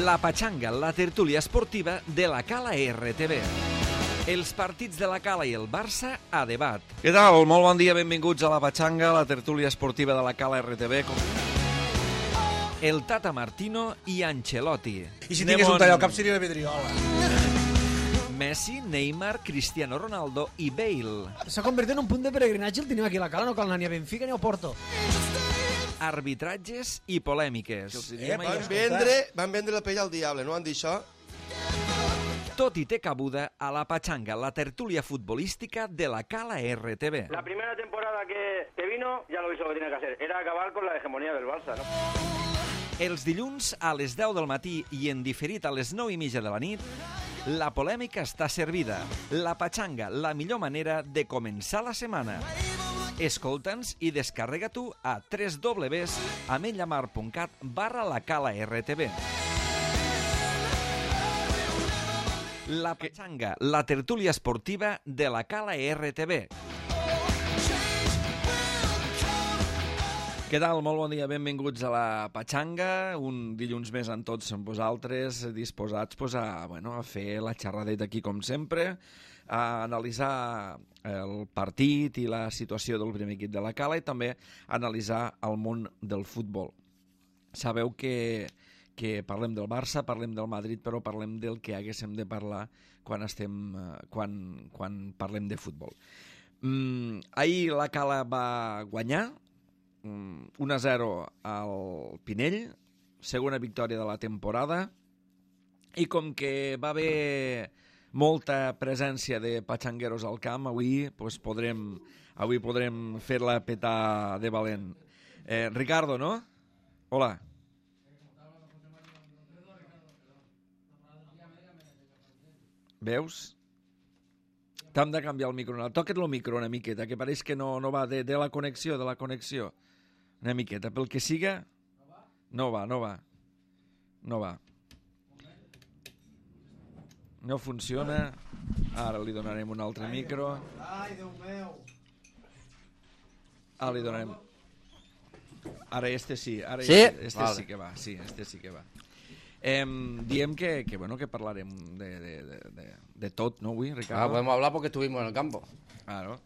La Patxanga, la tertúlia esportiva de la Cala RTV. Els partits de la Cala i el Barça a debat. Què tal? Molt bon dia, benvinguts a La Patxanga, la tertúlia esportiva de la Cala RTV. El Tata Martino i Ancelotti. I si tingués un tall al cap seria la vidriola. Messi, Neymar, Cristiano Ronaldo i Bale. S'ha convertit en un punt de peregrinatge el tenim aquí a la Cala, no cal anar ni a Benfica ni a Porto. Arbitratges i polèmiques. Van vendre la pell al diable, no han dit això? Tot i té cabuda a La Patxanga, la tertúlia futbolística de la Cala RTV. La primera temporada que vino ya lo hizo lo que tenía que hacer. Era acabar con la hegemonía del Barça, ¿no? Els dilluns a les 10 del matí i en diferit a les 9:30 de la nit, la polèmica està servida. La Patxanga, la millor manera de començar la setmana. Escolta'ns i descarrega-t'ho a www.amenyamar.cat/lacalartv. La Patxanga, la tertúlia esportiva de la Cala RTV. Què tal? Molt bon dia, benvinguts a la Patxanga, un dilluns més amb tots amb vosaltres, disposats a fer la xerradeta aquí com sempre, a analitzar el partit i la situació del primer equip de la Cala i també analitzar el món del futbol. Sabeu que parlem del Barça, parlem del Madrid, però parlem del que haguéssim de parlar quan parlem de futbol. Ahir la Cala va guanyar 1-0 al Pinell, segona victòria de la temporada, i com que va haver molta presència de patxangueros al camp, avui podrem fer-la petar de valent. Ricardo, no? Hola. Veus? T'hem de canviar el micro. Toca't el micro una miqueta, que pareix que no va de la connexió, Una miqueta, pel que siga... No va. No funciona. Ara li donarem un altre micro. Ai, Déu meu. Ara li donarem... Ara este sí. Sí que va. Diem que parlarem de tot, ¿no, güey, Ricardo? Podemos hablar porque estuvimos en el campo. Claro.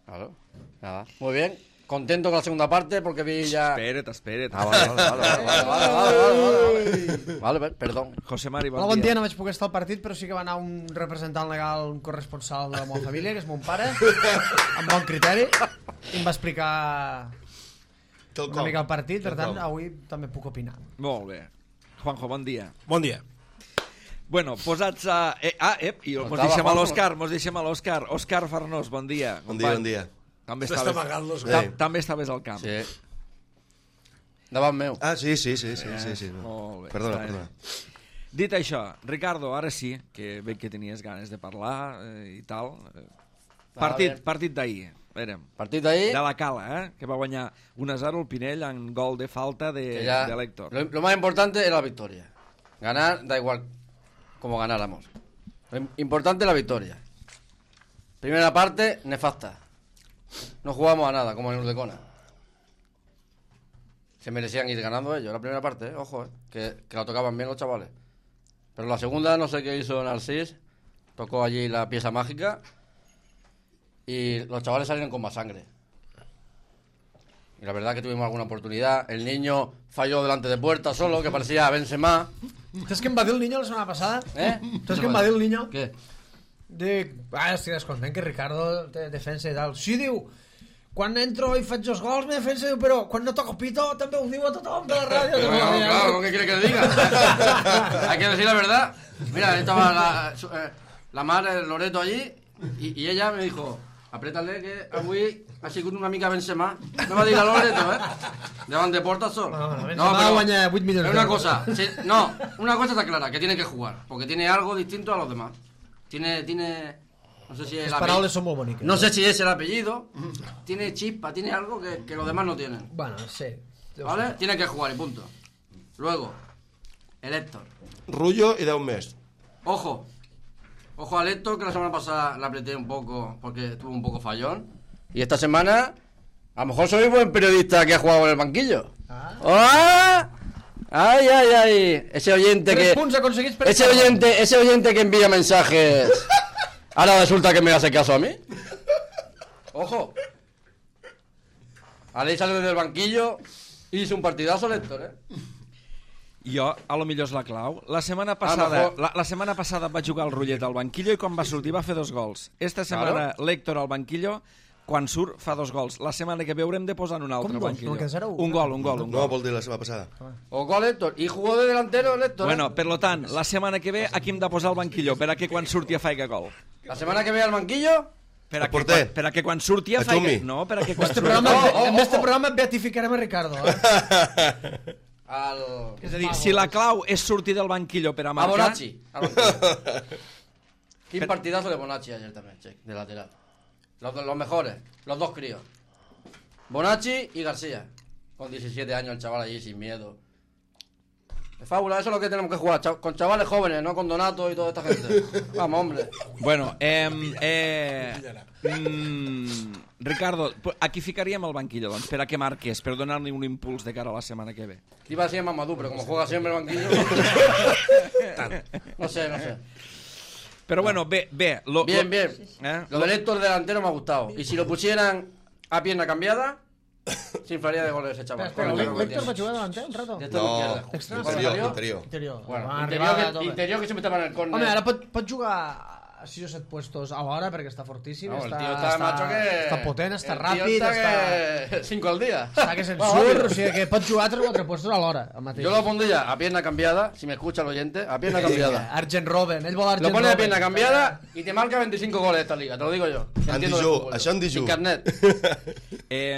Nada. Muy bien. Contento con la segunda parte porque vi ya... Espera't. Vale, perdón. José Mari, bon dia. No vaig poder estar al partit, però sí que va anar un representant legal, un corresponsal de la meva família, que és mon pare, amb bon criteri, i em va explicar una mica el partit, per tant, avui també puc opinar. Molt bé. Juanjo, bon dia. Bon dia. Bueno, posats a... I mos deixem a l'Òscar. Òscar Farnós, bon dia. Bon dia. També estaves al camp. Sí. Davant meu. Ah, sí. Molt bé. Perdona. Dit això, Ricardo, ara sí, que veig que tenies ganes de parlar i tal. Partit d'ahir. Partit d'ahir. De la Cala, que va guanyar 1-0 el Pinell en gol de falta de Héctor. Lo más importante era la victoria. Ganar, da igual como ganáramos. Lo importante es la victoria. Primera parte, nefasta. No jugamos a nada, como en Urdecona. Se merecían ir ganando ellos. La primera parte, ojo, que la tocaban bien los chavales. Pero la segunda, no sé qué hizo Narcís. Tocó allí la pieza mágica. Y los chavales salieron con más sangre. Y la verdad que tuvimos alguna oportunidad. El niño falló delante de puerta solo, que parecía Benzema. ¿Sabes qué em va dir el niño la setmana passada? ¿Sabes qué em va dir el niño? Què? Estic descontent que Ricardo té defensa i tal. Sí, diu, quan entro i faig els gols, mi defensa diu, però quan no toco pito també ho diu a tothom de la ràdio. Claro, ¿qué quiere que le diga? Hay que decir la verdad. Mira, estaba la madre Loreto allí y ella me dijo, apriétale que avui ha sigut una mica Benzema. Me va dir la Loreto, Davant de porta sol. Benzema guanya 8 milions d'euros. Una cosa está clara, que tiene que jugar, porque tiene algo distinto a los demás. Tiene no sé si es las paraules son muy bonitas. No sé si es el apellido. Tiene chispa, tiene algo que los demás no tienen. Bueno, sí. ¿Vale? Tiene que jugar y punto. Luego, el Héctor. Rullo y 10 més. Ojo al Héctor, que la semana pasada la apreté un poco porque estuvo un poco fallón. Y esta semana, a lo mejor soy buen periodista que ha jugado en el banquillo. Ay. Ese oyente 3 que... punts aconseguits per Ese oyente que envía mensajes... Ahora resulta que me hace caso a mí. Ojo. Ahora sale desde el banquillo y hizo un partidazo l'Héctor, Jo, a lo millor és la clau. La setmana passada va jugar al Rullet al banquillo i quan va sortir va fer 2 gols. Esta setmana l'Héctor al banquillo, quan surt fa 2 gols. La setmana que ve haurem de posar en un altre banquillo. Un gol. No, vol dir la setmana passada. O gol Héctor. Y jugó de delantero l'Héctor. Bueno, per lo tant, la setmana que ve aquí hem de posar al banquillo per a que quan surti a faiga gol. La semana que ve al banquillo... Per a que quan surti a faiga... No, per a que quan surti... En este programa beatificarem a Ricardo. És a dir, si la clau és sortir del banquillo per a marcar... A Bonacci. Quin partidazo de Bonacci ayer también, che, de lateral. Los mejores, los 2 críos. Bonacci y García. Con 17 años el chaval allí sin miedo. Es fábula, eso es lo que tenemos que jugar, con chavales jóvenes, no con Donato y toda esta gente. Vamos, hombre. Bueno, Ricardo, a qui ficaríem al banquillo, doncs, per a que marques, per donar-li un impuls de cara a la setmana que ve? Iba a decir Mamadou, pero como juega siempre el banquillo... No sé. Pero bueno, bien. Bien. Lo del Héctor delantero me ha gustado. Y si lo pusieran a pierna cambiada... Se inflaría de goles ese chaval. Espera, ¿Héctor va a jugar delante un rato? Interior. Bueno, interior que siempre estaba en el córner. Home, ara pot jugar a 6 o 7 puestos alhora perquè està fortíssim, el tío está macho que... està potent, està ràpid, el tío está que... 5 al día. Està que se'n surt, o sigui que pot jugar a 3 o 4 puestos alhora. Yo lo pondría a pierna cambiada, si me escucha el oyente, a pierna cambiada. Arjen Robben, ell vol Arjen Robben. Lo pone a pierna cambiada y te marca 25 goles esta liga, te lo digo yo. Això en dijú. Sin carnet.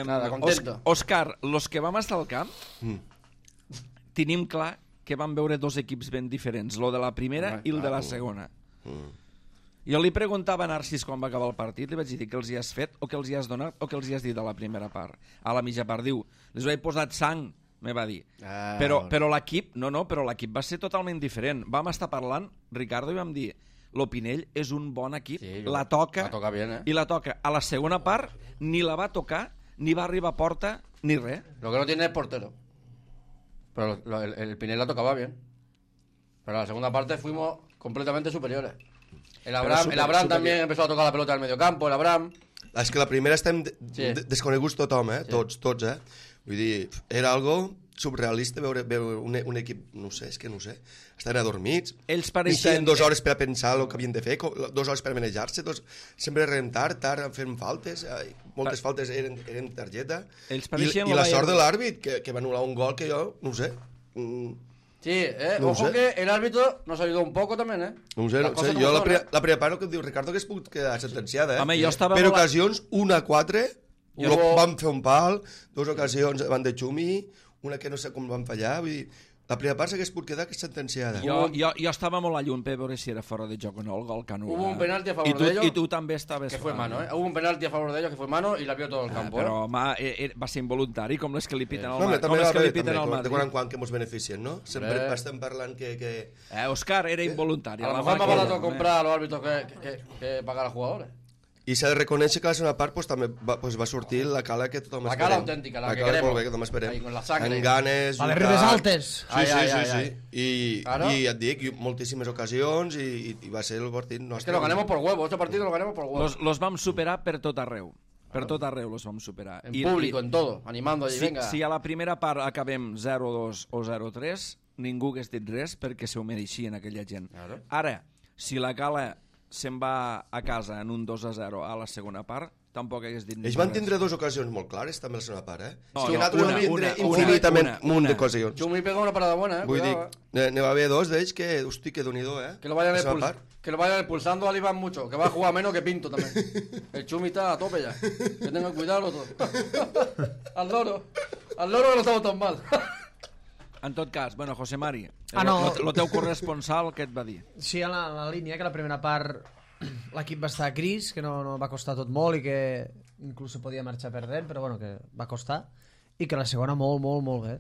Nada, contento. Òscar, los que vam estar al camp, tenim clar que vam veure 2 equips ben diferents, lo de la primera i el de la segona. Jo li preguntava a Narcís quan va acabar el partit, li vaig dir què els hi has fet, o què els hi has donat, o què els hi has dit a la primera part. A la mitja part diu, les ho he posat sang, me va dir. Però l'equip, però l'equip va ser totalment diferent. Vam estar parlant, Ricardo, i vam dir, l'Opinell és un bon equip, la toca bien, i la toca. A la segona part ni la va tocar, ni va arribar a porta, ni res. Lo que no tiene es portero. Pero el Pinell la tocaba bien. Pero en la segunda parte fuimos completamente superiores. El Abraham también empezó a tocar la pelota al mediocampo, el Abraham... És que la primera estem desconeguts tothom, tots, Vull dir, era algo surrealista veure un equip, no sé, estaven adormits, ells pareixien... 2 hores per a pensar el que havien de fer, 2 hores per a manejar-se, sempre eren tard fent faltes, moltes faltes eren targeta, i la sort de l'àrbit, que va anul·lar un gol que jo, no sé... Sí, ojo que el árbitro nos ayudó un poco también, No sé, jo la primera part que em diu Ricardo que es pot quedar sentenciada, Home, jo estava per ocasions, 1-4, vam fer un pal, 2 ocasions van de Xumi, una que no sé com van fallar, vull dir, la primera part s'hagués pot quedar que és sentenciada. Jo estava molt a llum per veure si era fora de joc o no el gol que anul·la. Hubo un penalti a favor de ellos. I tu també estaves... Que fue mano, Hubo un penalti a favor de ellos que fue mano y la vio todo el campo. Però va ser involuntari, com les que li piten al Madrid. De quan en quan que ens beneficien, no? Sempre estem parlant que... Òscar, era involuntari. A lo mejor más barato comprar a los árbitros que pagar a jugadores. I s'ha de reconèixer que a la segona part també va sortir la cala que tothom esperem. La cala autèntica, la que queremos. Molt bé, que tothom esperem. Ahí, con la sangre. En ganes, a les ribes altes. Sí. I et dic, moltíssimes ocasions i va ser el partit nostre. Es que lo ganemos por huevo, este partido lo ganemos por huevo. Los vam superar per tot arreu. Per tot arreu los vam superar. En público, en todo, animando allí, venga. Si a la primera part acabem 0-2 o 0-3, ningú hagués dit res perquè s'ho mereixien aquella gent. Ara, si la cala se'n va a casa en un 2-0 a la segona part, tampoc hagués dit... Ells van tindre 2 ocasions molt clares, també a la segona part, No, infinitament un de ocasions. Xumi pega una parada buena, Vull dir, n'hi va haver 2 d'ells que, hosti, que Déu-n'hi-do, Que lo vayan expulsando al Iván mucho, que va a jugar menos que Pinto también. El Xumi está a tope ya. Que tengan cuidado los dos. Al loro que no estamos tan mal. En tot cas, bueno, José Mari, el teu corresponsal, què et va dir? Sí, a la línia, que la primera part l'equip va estar gris, que no va costar tot molt i que inclús se podia marxar perdent, però bueno, que va costar, i que la segona molt bé.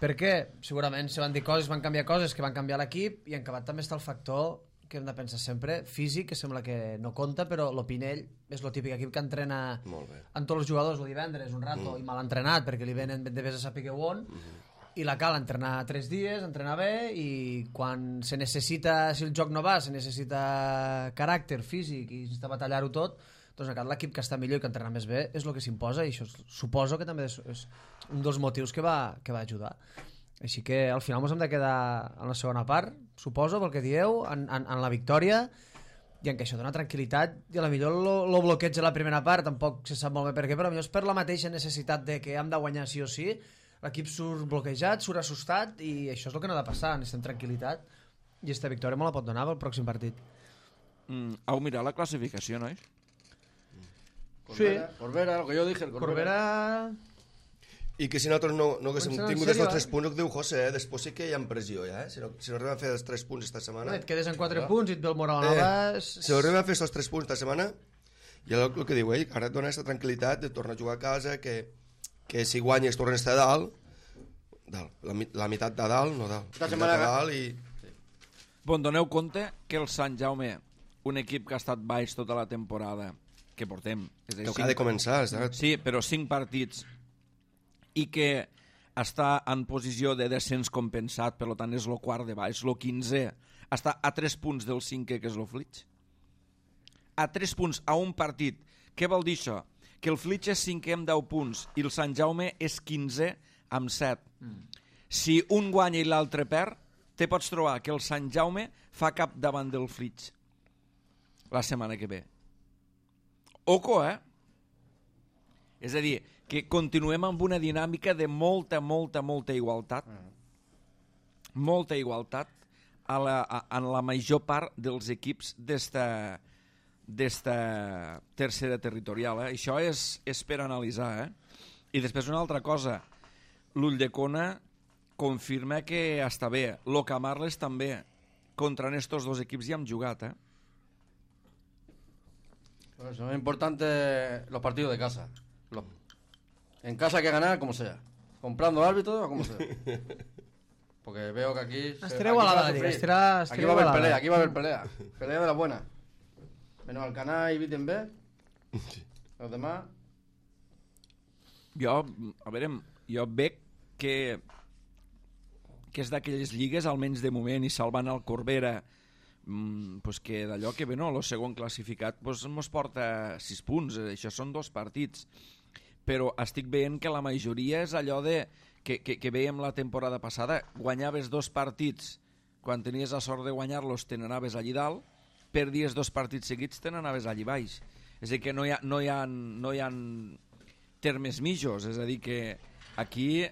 Perquè segurament se van dir coses, van canviar coses que van canviar l'equip, i en acabat també està el factor que hem de pensar sempre, físic, que sembla que no compta, però l'Opinell és el típic equip que entrena amb tots els jugadors el divendres, un rato, i mal entrenat, perquè li venen de vés a saber on, i la cal entrenar 3 dies, entrenar bé, i quan se necessita, si el joc no va, se necessita caràcter físic i necessita batallar-ho tot, doncs l'equip que està millor i que entrena més bé és el que s'imposa, i això suposo que també és un dels motius que va ajudar. Així que al final ens hem de quedar en la segona part, suposo, pel que dieu, en la victòria, i en què això dona tranquil·litat, i a la millor el bloqueig de la primera part tampoc se sap molt bé per què, però potser és per la mateixa necessitat de que hem de guanyar sí o sí, l'equip surt bloquejat, surt assustat, i això és el que no ha de passar, necessitem tranquil·litat, i aquesta victòria me la pot donar pel pròxim partit. Heu mirat la classificació, nois? Corbera, lo que yo dije, el Corbera. I que si nosaltres no haguéssim tingut els 3 punts, el que diu José, després sí que hi ha pressió ja, si no arribem a fer els 3 punts esta setmana... Et quedes en 4 punts i et ve el moral nova... Si arribem a fer els 3 punts esta setmana, i el que diu ell, ara et dona aquesta tranquil·litat de tornar a jugar a casa, que si guanyes tornes a dalt, la meitat de dalt, no dalt, la meitat de dalt i... Bon, doneu compte que el Sant Jaume, un equip que ha estat baix tota la temporada, que portem... Que ha de començar, exacte. Sí, però 5 partits, i que està en posició de descens compensat, per tant és el quart de baix, el 15è, està a 3 punts del 5è, que és el Flitx. A 3 punts, a un partit. Què vol dir això? Que el Flitx és 5è amb 10 punts i el Sant Jaume és 15è amb 7. Si un guanya i l'altre perd, te pots trobar que el Sant Jaume fa cap davant del Flitx la setmana que ve. Oco, És a dir, que continuem amb una dinàmica de molta igualtat. Molta igualtat en la major part dels equips d'esta tercera territorial. Això és per analitzar. I després una altra cosa. L'Ulldecona confirma que està bé. Lo Camarles també. Contra estos dos equips ja hem jugat. Pues es importante los partidos de casa. En casa hay que ganar como sea. Comprando al árbitro o como sea. Porque veo que aquí... Aquí va a haber pelea, aquí va a haber pelea. Pelea de la buena. Menos Alcanar y Wittenberg. Los demás... Jo veig que és d'aquelles lligues, almenys de moment, i salvant el Corbera, pues que d'allò que ve, no, el segon classificat mos porta 6 punts, això són 2 partits, però estic veient que la majoria és allò de que veiem la temporada passada, guanyaves 2 partits, quan tenies la sort de guanyar-los te n'anaves allí dalt, perdies 2 partits seguits te n'anaves allí baix. És a dir, que no hi ha termes mitjos, és a dir, que aquí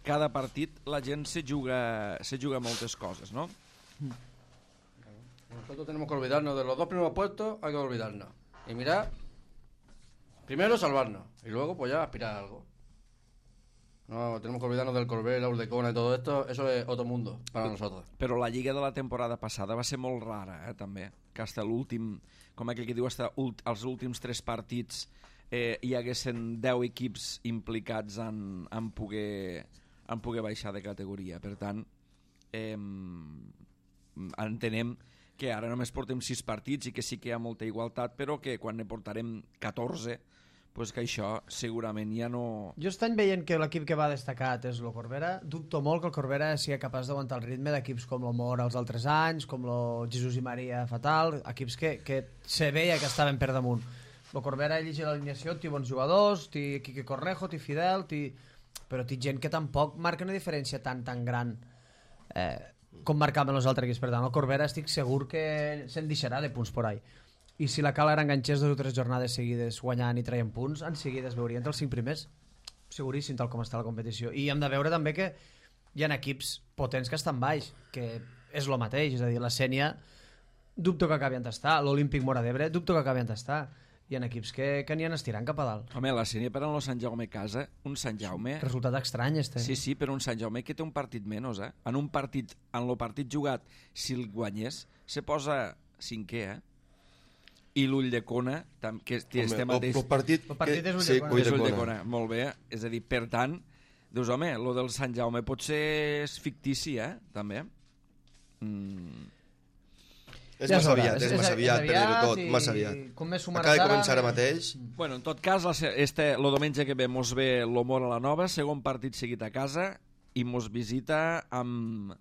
cada partit la gent se juga moltes coses, ¿no? Nosotros tenemos que olvidarnos de los 2 primeros puestos, hay que olvidarnos. Y mirar, primero salvarnos, y luego pues ya aspirar a algo. No, tenemos que olvidarnos del Corbera, Ulldecona y todo esto, eso es otro mundo para nosotros. Però la lliga de la temporada passada va ser molt rara, també, que hasta l'últim, com aquell que diu, hasta els últims 3 partits hi haguessin 10 equips implicats en poder baixar de categoria. Per tant, entenem que ara només portem 6 partits i que sí que hi ha molta igualtat, però que quan ne portarem 14, pues que això segurament ja no... Jo estic veient que l'equip que va destacat és el Corbera. Dubto molt que el Corbera sigui capaç d'aguantar el ritme d'equips com el Mora els altres anys, com el Jesús i Maria Fatal, equips que se veia que estaven per damunt. El Corbera llegia l'alineació, té bons jugadors, té Quique Cornejo, té Fidel, però té gent que tampoc marca una diferència tan gran com marcaven els altres equips. Per tant, el Corbera estic segur que se'n deixarà de punts por ahí. I si la Cal ara enganxés 2 o 3 jornades seguides guanyant i traient punts, en seguida es veurien entre els 5 primers, seguríssim, tal com està la competició. I hem de veure també que hi ha equips potents que estan baix, que és el mateix, és a dir, la Sènia dubto que acabi d'estar, l'Olímpic Mora d'Ebre dubto que acabi d'estar. Hi ha equips que n'hi han estirant cap a dalt. Home, la Sènia per a Sant Jaume casa, un Sant Jaume... Resultat estrany, este. Sí, però un Sant Jaume que té un partit menys, En el partit jugat, si el guanyés, se posa 5è, I l'Ulldecona, que estem mateix... El partit és Ulldecona. Molt bé. És a dir, per tant, dius, home, lo del Sant Jaume potser és fictici, també. És massa aviat per dir-ho tot, massa aviat. Acaba de començar ara mateix. Bueno, en tot cas, lo diumenge que ve mos ve l'Homor a la Nova, segon partit seguit a casa, i mos visita amb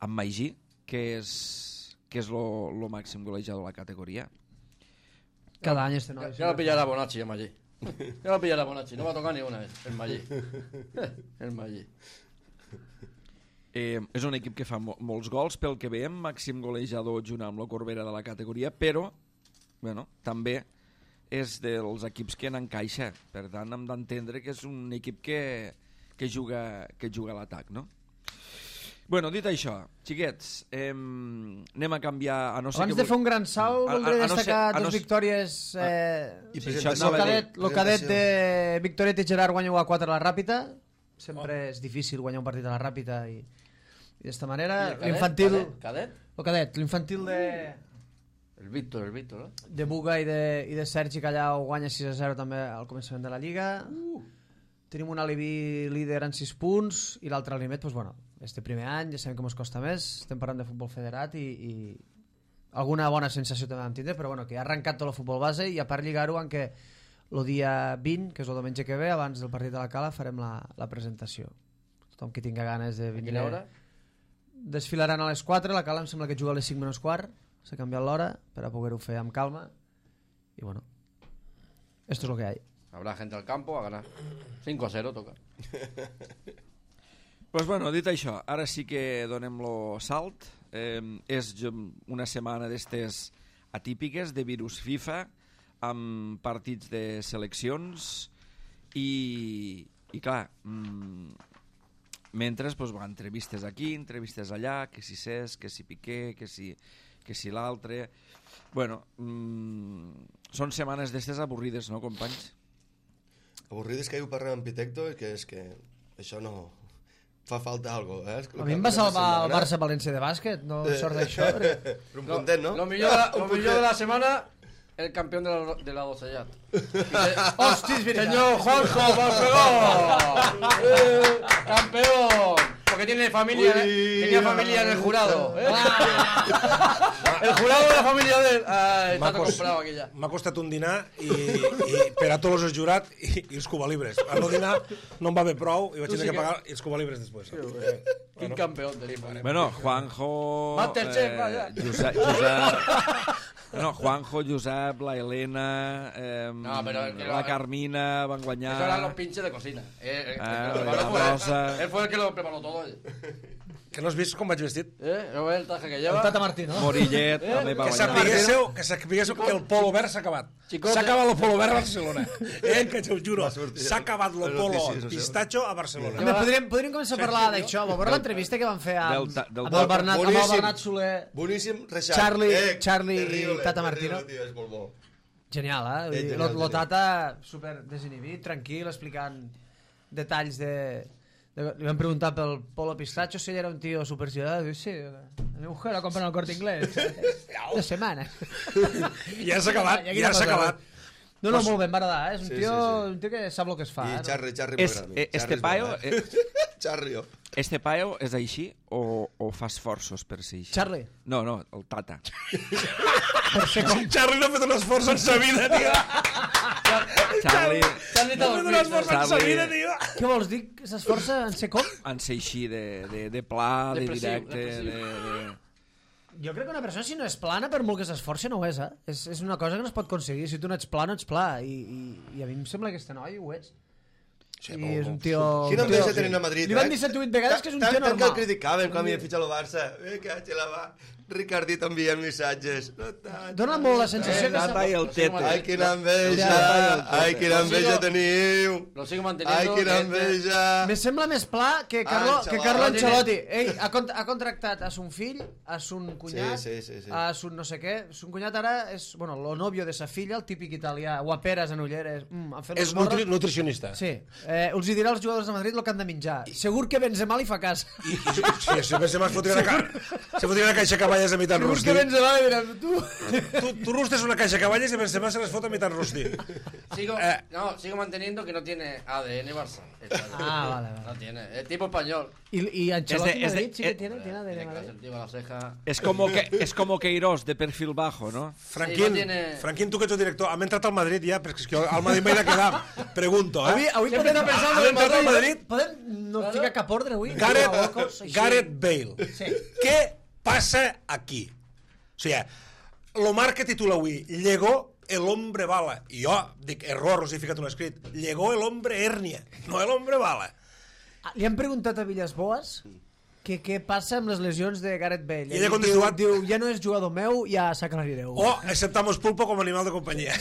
Magí, que és lo màxim golejador de la categoria. Cada any este noi. Ya lo pillará Bonacci en Magí. Ya lo pillará Bonacci. No va a tocar ni una vez. El Magí. El Magí. És un equip que fa molts gols, pel que veiem, màxim golejador junt amb la Corbera de la categoria, però bueno, també és dels equips que n'encaixa. Per tant, hem d'entendre que és un equip que juga a l'atac, no? Bueno, dit això, xiquets, anem a canviar... Abans de fer un gran salt, voldré destacar dos victòries. El cadet de Victoret i Gerard guanya 1-4 a la Ràpita. Sempre és difícil guanyar un partit a la Ràpita i d'esta manera. L'infantil... ¿Cadet? El cadet, l'infantil de... El Víctor, ¿no? De Buga i de Sergi Callau guanya 6-0 també al començament de la Lliga. Tenim un alibi líder en 6 punts i l'altre alimet, doncs bueno, este primer any, ja sabem que ens costa més, estem parlant de futbol federat i alguna bona sensació també vam tindre, però bueno, que ha arrencat tot el futbol base i a part lligar-ho en què el dia 20, que és el diumenge que ve, abans del partit de la Cala, farem la presentació. Tothom que tinga ganes de venir... A quina hora? Desfilaran a les 4, la Cala em sembla que juga a les 5 menys quart, s'ha canviat l'hora per a poder-ho fer amb calma i bueno, esto es lo que hay. Habrá gente al campo a ganar. 5-0 toca. Pues bueno, dit això, ara sí que donem-lo salt. És una setmana d'estes atípiques de virus FIFA amb partits de seleccions i clar, mentre pues, entrevistes aquí, entrevistes allà, que si Cesc, que si Piqué, que si l'altre... Bueno, són setmanes d'estes avorrides, no, companys? Avorrides que ho parlem amb Pitecto i que és que això no... Fa falta algo, eh? A mi em va salvar el Barça-València de bàsquet, no sort d'això. Però un content, no? Lo millor de la semana, el campeón de la docellat. Hostis, Señor Juanjo Barceló. Campeón. Porque tiene familia, tenía familia en el jurado. El jurado de la família de él. Està tot comprat aquí ja. M'ha costat un dinar i per a tots els jurats i els cubalibres. El dinar no em va bé prou i vaig tenir que pagar els cubalibres després. Quin campió tenim. Bueno, Juanjo... Masterchef, vaya. Juanjo, Josep, la Helena, la Carmina van guanyar... Eso eran los pinches de cocina. La Rosa... Él fue el que lo preparó todo. Que no has vist com vaig vestit? ¿No ves el traje que lleva? El Tata Martí, no? Morillet també va guanyar. Que sapiguéssiu que el polo verd s'ha acabat. S'ha acabat el polo verd a Barcelona. Que te ho juro. S'ha acabat el polo pistacho a Barcelona. Podríem començar a parlar d'això. Va veure l'entrevista que van fer amb el Bernat Soler, boníssim, Charlie i Tata Martino. És molt bo. Genial, eh? Lo Tata super desinhibit, tranquil, explicant detalls de... Le van preguntar pel polo pistacho si ell era un tío super ciudadano. Sí, mi mujer la compra en el Corte Inglés. 2 setmanes. Ja s'ha acabat. No, molt bé, em va agradar, eh? És un tio que sap el que es fa. I Charri Este paio és així o fa esforços per ser així? Charlie? No, el Tata. Charlie no ha fet un esforç en sa vida, tio. Charlie no ha fet un esforç en sa vida, tio. Què vols dir? S'esforça en ser com? En ser així, de pla, de directe... Jo crec que una persona, si no és plana, per molt que s'esforci, no ho és, eh? És una cosa que no es pot aconseguir. Si tu no ets pla, no ets pla. I a mi em sembla que este noi ho és. Sí, i és un tio... Quina enveja tenen a Madrid, Li van dir 7 o 8 vegades que és un tio normal. Tant que el criticaven quan havia fitxat el Barça. Que la va... Ricardit envia missatges. Dóna molt la sensació que... Tata i el Tete. Ai, quina enveja teniu. Lo sigo manteniendo. Ai, quina enveja. Me sembla més pla que Carlo Ancelotti. Ell ha contractat a son fill, a son cunyat, a son no sé què. Son cunyat ara és, bueno, lo novio de sa filla, el típic italià, guaperes en ulleres. És nutricionista. Sí. Els hi dirà als jugadors de Madrid el que han de menjar. Segur que Benzema li fa cas. Sí, Benzema es fotria una caixa que cavalles a mitad rosti. Busca Benzema i diràs, tu... Tú rustes una caixa de caballes y Benzema se les fot a mitad rosti. Sigo manteniendo que no tiene ADN Barça. Vale. No tiene, es tipo español. ¿Y Ancelotti Madrid sí que tiene ADN Tiene Madrid? sentido la ceja. Es como Queiroz, de perfil bajo, ¿no? Franquín, tu que ets el director, hem entrat al Madrid ja, perquè és que al Madrid m'he de quedar. Pregunto, Avui podem pensar hem entrat al Madrid. Podem no ficar cap ordre avui? Gareth Bale. Sí. Què passa aquí? O sigui, lo Marca titula avui, llegó el hombre bala. I jo dic, error, us he ficat un escrit. Llegó el hombre hernia, no el hombre bala. Li han preguntat a Villas-Boas què passa amb les lesions de Gareth Bale. I ella ha contestat... Diu, ja no és jugador meu, ja s'aclarireu. O aceptamos pulpo com a animal de companyia.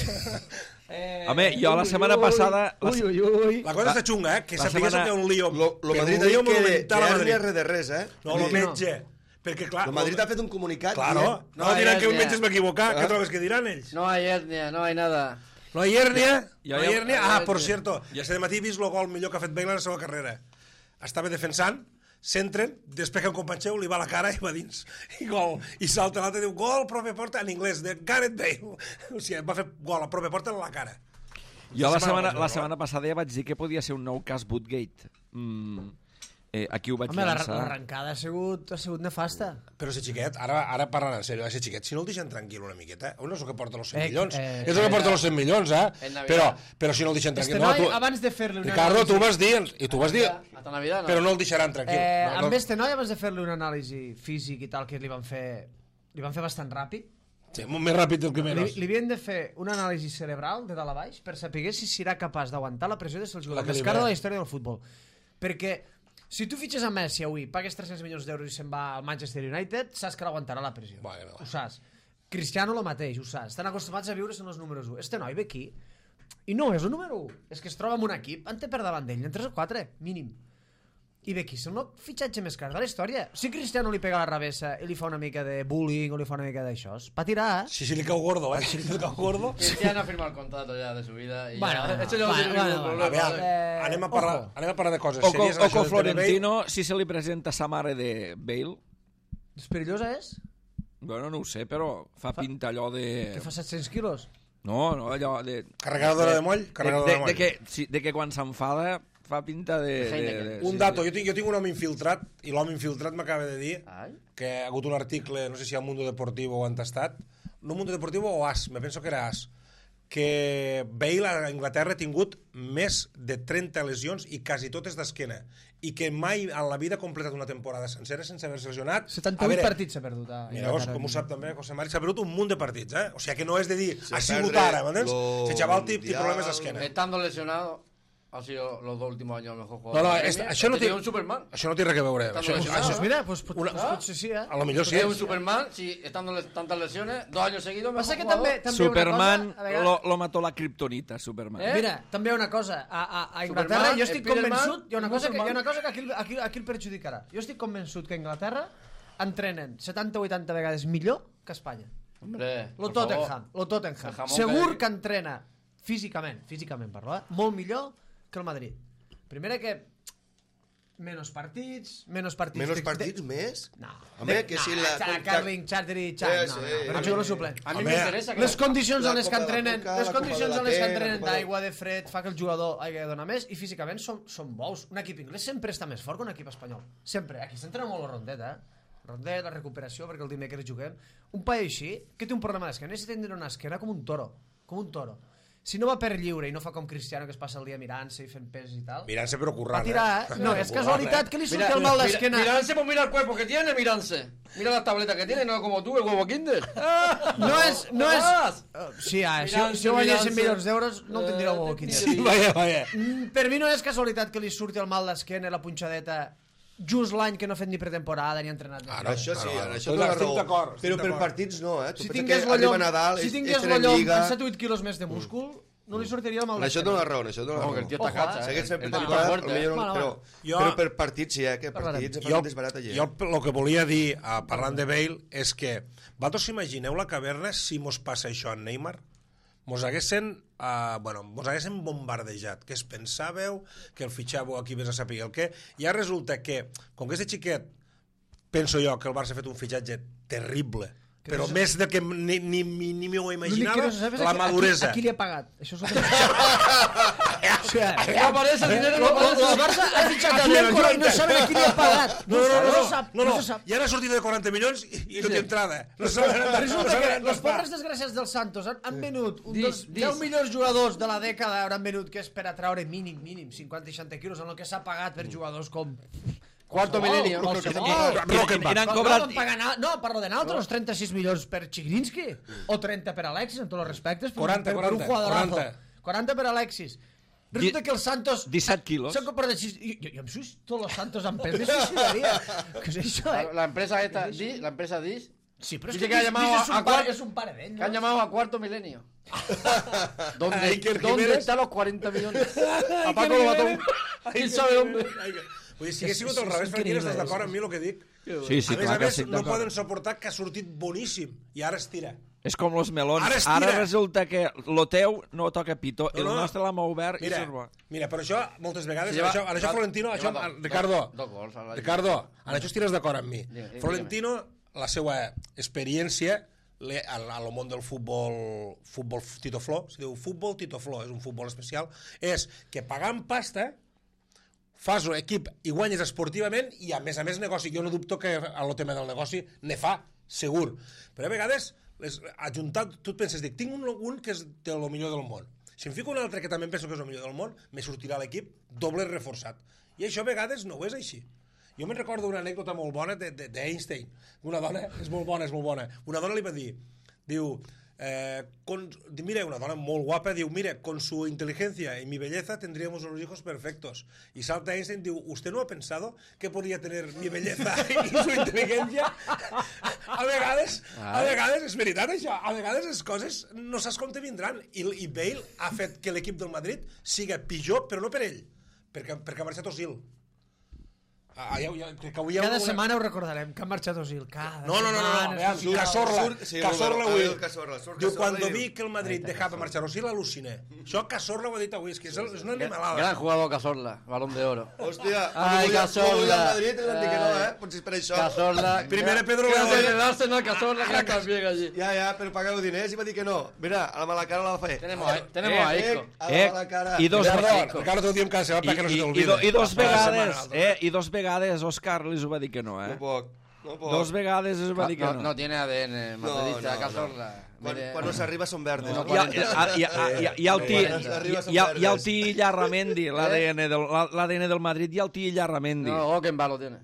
Home, jo la setmana passada... La cosa està xunga, que sapigues que hi ha un lío. Lo Madrid ha dit que hernia res de res, eh? No, lo metge. Perquè, clar... El Madrid ha fet un comunicat... Claro, no diran que un metge es va equivocar. Què trobes que diran ells? No hay hernia, no hay nada. No hay hernia? Jo No ja- hay hernia? Ah, por cierto, este matí he vist el gol millor que ha fet Bale en la seva carrera. Estava defensant, centren, despeja un company seu, li va a la cara i va dins. I gol. I salta l'altre i diu, gol, pròpia porta, en anglès, de Gareth Bale. O sigui, va fer gol a pròpia porta en la cara. Jo la setmana passada ja vaig dir que podia ser un nou cas Woodgate. Aquí ho vaig Home, llançar. l'arrencada ha sigut nefasta. Però si xiquet, ara parlant en sèrio, ese xiquet, si no el deixen tranquil una miqueta, no és el que porta els 100 milions. És el que porta els 100 milions, però si no el deixen tranquil... Este noi, abans de fer-li una Ricardo, tu vas dir, i tu vas dir... Hasta Navidad, no. Però no el deixaran tranquil. Amb este noi, abans de fer-li una anàlisi físic i tal, que li van fer bastant ràpid, Sí, més ràpid del que menys. li havien de fer una anàlisi cerebral de dalt a baix per saber si serà capaç d'aguantar la pressió de ser el jugador més car de la història del futbol. Perquè si tu fitxes a Messi avui, pagues 300 milions d'euros i se'n va al Manchester United, saps que l'aguantarà la pressió. Ho saps. Cristiano lo mateix, ho saps. Estan acostumats a viure en els números 1. Este noi ve aquí i no és el número 1. És que es troba en un equip, en té per davant d'ell, en 3 o 4, mínim. I ve aquí, és el fitxatge més car de la història. Si Cristiano li pega la revessa i li fa una mica de bullying o li fa una mica d'això, va tirar, eh? Sí, li cau gordo, Si li cau gordo... Cristiano ha firmado el contrato ya de su vida. Y Bueno, esto ya no tiene ningún problema. Anem a parlar de coses O serioses. con Florentino, si se li presenta sa mare de Bale... És perillosa, és? Bueno, no ho sé, però fa pinta allò de... Que fa 700 quilos? No, allò de... Carregadora de moll? Carregadora de moll. De que quan s'enfada fa pinta de... Un dato, jo tinc un home infiltrat, i l'home infiltrat m'acaba de dir que ha hagut un article, no sé si a Mundo Deportivo o Entestat, no Mundo Deportivo o AS, me penso que era AS, que Bale a Anglaterra ha tingut més de 30 lesions i quasi totes d'esquena, i que mai en la vida ha completat una temporada sencera sense haver-se lesionat. 78 partits s'ha perdut. Mira, com ho sap també José Mari, s'ha perdut un munt de partits, O sigui que no és de dir, ha sigut ara, m'entens? Se xaval té problemes d'esquena. Estando lesionado, ha sido los 2 últimos años el mejor No, jugador. això no té... un Superman. Això no té res a veure. Pues mira, pues potser sí, A lo millor sí. Es un Superman, si estando tantas lesiones, 2 años seguidos, Passa que mejor també jugador. Superman hi ha una cosa, lo mató la kriptonita, Superman. Mira, també hi ha una cosa. A Inglaterra, Superman, jo estic Spiderman, convençut, hi ha una cosa Superman. que aquí el perjudicarà. Jo estic convençut que a Inglaterra entrenen 70-80 vegades millor que a Espanya. Hombre, Lo por favor. Tottenham, lo Tottenham. El jamón Segur que- que entrena físicament parlo, molt millor que el Madrid. Primera que menos partits Menos partits més? No. Home, que si la... Carling, Chartery, Chat, no, però jugador suplent. A mí me interesa que Les condicions en les que la Copa de la entrenen, Coca, les la Copa condicions de la en les que Té, entrenen la Copa de- d'aigua, de fred, fa que el jugador hagi de donar més i físicament són bous. Un equip inglès sempre està més fort que un equip espanyol. Sempre. Aquí s'entrena molt la rondeta, Rondet, la recuperació, perquè el dimecres juguem. Un paio així, que té un problema d'esquena, necessita tindre una esquena com un toro. Si no va per lliure i no fa com Cristiano, que es passa el dia mirant-se i fent pes i tal, Mirant-se però currant, va tirar, No, és casualitat que li surti el mal d'esquena. Miranse, pues mira el cuerpo que tiene, Miranse. Mira las tabletas que tiene, no como tú, el huevo Kinder. No és... Sí, si ho guanyessin milions d'euros, no el tindria el huevo Kinder. Sí, vaya. Per mi no és casualitat que li surti el mal d'esquena i la punxadeta just l'any que no ha fet ni pretemporada ni ha entrenat. Això sí, això Estic té la raó. d'acord, Però per d'acord. partits no, Tu Si pensa tingués que lo arriba llom, Nadal, si tingués estem lo en llom Lliga... amb 7 o 8 quilos més de múscul, no li sortiria el mal Això té d'esquena. la raó, això té la raó. Que el tío está cacha, Segueix fent el pretemporada, fuerte, potser no, Bueno, però per partits sí, que partits és barat allà. Jo el que volia dir, parlant de Bale, és que vosaltres imagineu la caverna si mos passa això a Neymar? Mos haguessin bombardejat, que es pensàveu, que el fitxàveu aquí vés a saber el què, i ara resulta que, com que aquest xiquet penso jo que el Barça ha fet un fitxatge terrible, però més del que ni m'ho imaginava, la maduresa. A qui li ha pagat? Això és el que... No aparece el dinero, no aparece. El Barça ha fitxat a Llenco i no saben a qui li ha pagat. No, ja n'ha sortit de 40 milions i no té entrada. Resulta que les pobres desgràcies del Santos han venut un dels 10 millors jugadors de la dècada, han venut que és per a traure mínim 50-60 quilos en el que s'ha pagat per jugadors com... Cuarto milenio. No, parlo de naltros, los 36 milions per Chigrinsky o 30 per Alexis, en tots els respectes. 40. 40 per Alexis. Resulta que el Santos... 17 quilos. S'han comprat així... Jo em suïsto los Santos amb pes de suïcidaria. Què és això, La empresa esta, la empresa DIS... Sí, pero es que es un par de que han llamado a cuarto milenio. ¿Dónde están los 40 millones? A Paco lo mató. ¿Quién sabe dónde? Vull dir, si hagués sigut al revés, Franquín, estàs d'acord amb mi el que dic? Sí, a més, no poden suportar que ha sortit boníssim i ara es tira. És com los melons. Ara resulta que lo teu no toca pito, el nostre l'ha obert i és bo. Mira, per això, moltes vegades, en això Florentino, Ricardo, en això estires d'acord amb mi. Florentino, la seva experiència al món del futbol Tito Fló, si diu futbol Tito Fló, és un futbol especial, és que pagant pasta fas l'equip i guanyes esportivament i a més negoci. Jo no dubto que el tema del negoci ne fa, segur. Però a vegades, ajuntat, tu et penses, dic, tinc un que és el millor del món. Si em fico un altre que també penso que és el millor del món, me sortirà l'equip doble reforçat. I això a vegades no ho és així. Jo me'n recordo una anècdota molt bona d'Einstein. Una dona, és molt bona. Una dona li va dir, diu, mira, una dona molt guapa, diu, mira, con su inteligencia y mi belleza tendríamos unos hijos perfectos. Y salta Einstein, diu, ¿usted no ha pensado que podría tener mi belleza y su inteligencia? A vegades, és veritat això, a vegades les coses no saps com te vindran. I Bale ha fet que l'equip del Madrid siga pitjor, però no per ell, perquè ha marxat Osil. Cada setmana ho recordarem, que ha marxat Osil. No, Cazorla avui. Diu, cuando vi que el Madrid dejaba marxar Osil, aluciné. Això Cazorla ho ha dit avui, és que és una animalada. Gran jugador Cazorla, balón de oro. Hòstia, Cazorla. Madrid ens han dit que no, potser és per això. Cazorla. Primera Pedro León. Que darse no Cazorla, que también allí. Ja, però pagar els diners i va dir que no. Mira, a la mala cara la va fer. Tenemos a Isco. A la mala cara. Ricardo, t'ho diem cada setmana perquè no se t'olvida. I dos vegades Òscar li ho va dir que no, No puc. Dos vegades es va dir que no. No tiene ADN madridista, Cazorla. Quan no s'arriba són verdes. I el Ti Llarramendi, l'ADN del Madrid, i el Ti Llarramendi. No, Okenba lo tiene.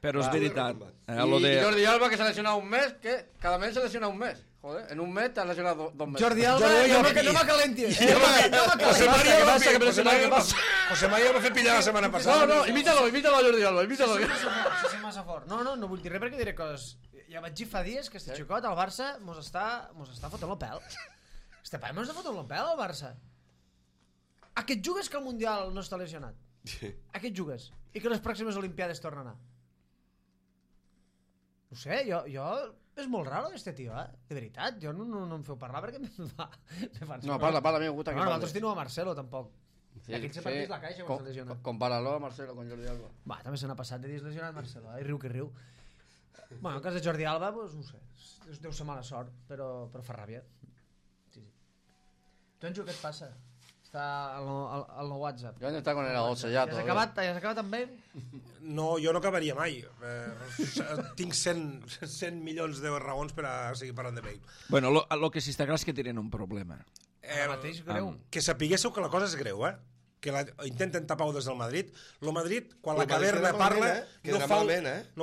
Però és veritat. Y Jordi Alba, que se ha lesionado un mes, que cada mes se lesiona un mes. Joder, en un mes te has lesionado 2 meses. Jordi Alba, no me calentes. José María va fer pillar la setmana passada. No, imítalo a Jordi Alba, imítalo. Sí, massa fort. No vull dir res perquè diré coses. Ja vaig dir fa dies que este xicot al Barça mos està fotent el pèl. Este pare mos està fotent el pèl al Barça. A què et jugues que el Mundial no està lesionat? A què et jugues? I que les pròximes Olimpiades tornen a anar? No sé, jo... És molt raro este tio, de veritat. Jo no em feu parlar perquè me fa... No, parla, a mi me gusta que parli. Nosaltres tenim a Marcelo, tampoc. I aquest partit la caixa quan s'ha lesionat. Compáralo a Marcelo con Jordi Alba. Va, també se n'ha passat de dies lesionat Marcelo, i riu que riu. Bueno, en cas de Jordi Alba, doncs no sé, deu ser mala sort, però fa ràbia. Sí. Tonjo, què et passa? Està al WhatsApp. Jo està con el agosto ya. ¿Has acabat amb ell? No, jo no acabaria mai. Tinc 100 milions de raons per a seguir parlant de Bale. Bueno, lo que sí està clar és que tenen un problema. Mateix greu. Que sapiguéssiu que la cosa és greu, que intenten tapar-ho des del Madrid. El Madrid, quan la caverna parla, no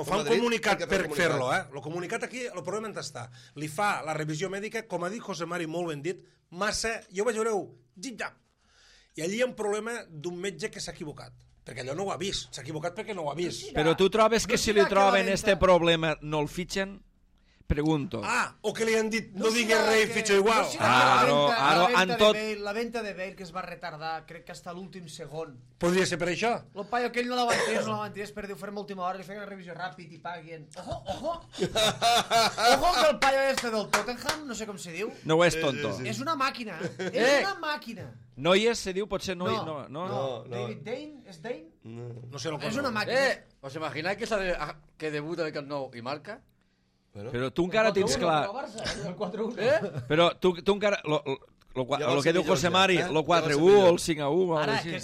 fa un comunicat per fer-lo. El comunicat aquí, el problema on està. Li fa la revisió mèdica, com ha dit José Mari, molt ben dit, massa, jo vaig veure-ho, zip-zap. I allí hi ha un problema d'un metge que s'ha equivocat, perquè allò no ho ha vist, s'ha equivocat perquè no ho ha vist. Però tu trobes que si li troben este problema no el fitxen? Pregunto. O que li han dit no digues res i fitxo igual. La venta de Bale que es va retardar, crec que hasta l'últim segon. Podria ser per això? El paio aquell no l'avantés, per dir, ho farem a última hora, li feien una revisió ràpid i paguen. Ojo que el paio este del Tottenham, no sé com se diu. No és tonto. És una màquina. És una màquina. Noies se diu, potser no. David Dane, ¿es Dane? No sé, és una màquina. ¿Os imagináis que debuta el Camp Nou i marca? Però tu encara tens clar... Però tu encara... Lo que diu José Mari, lo 4-1 o el 5-1. Ahora, que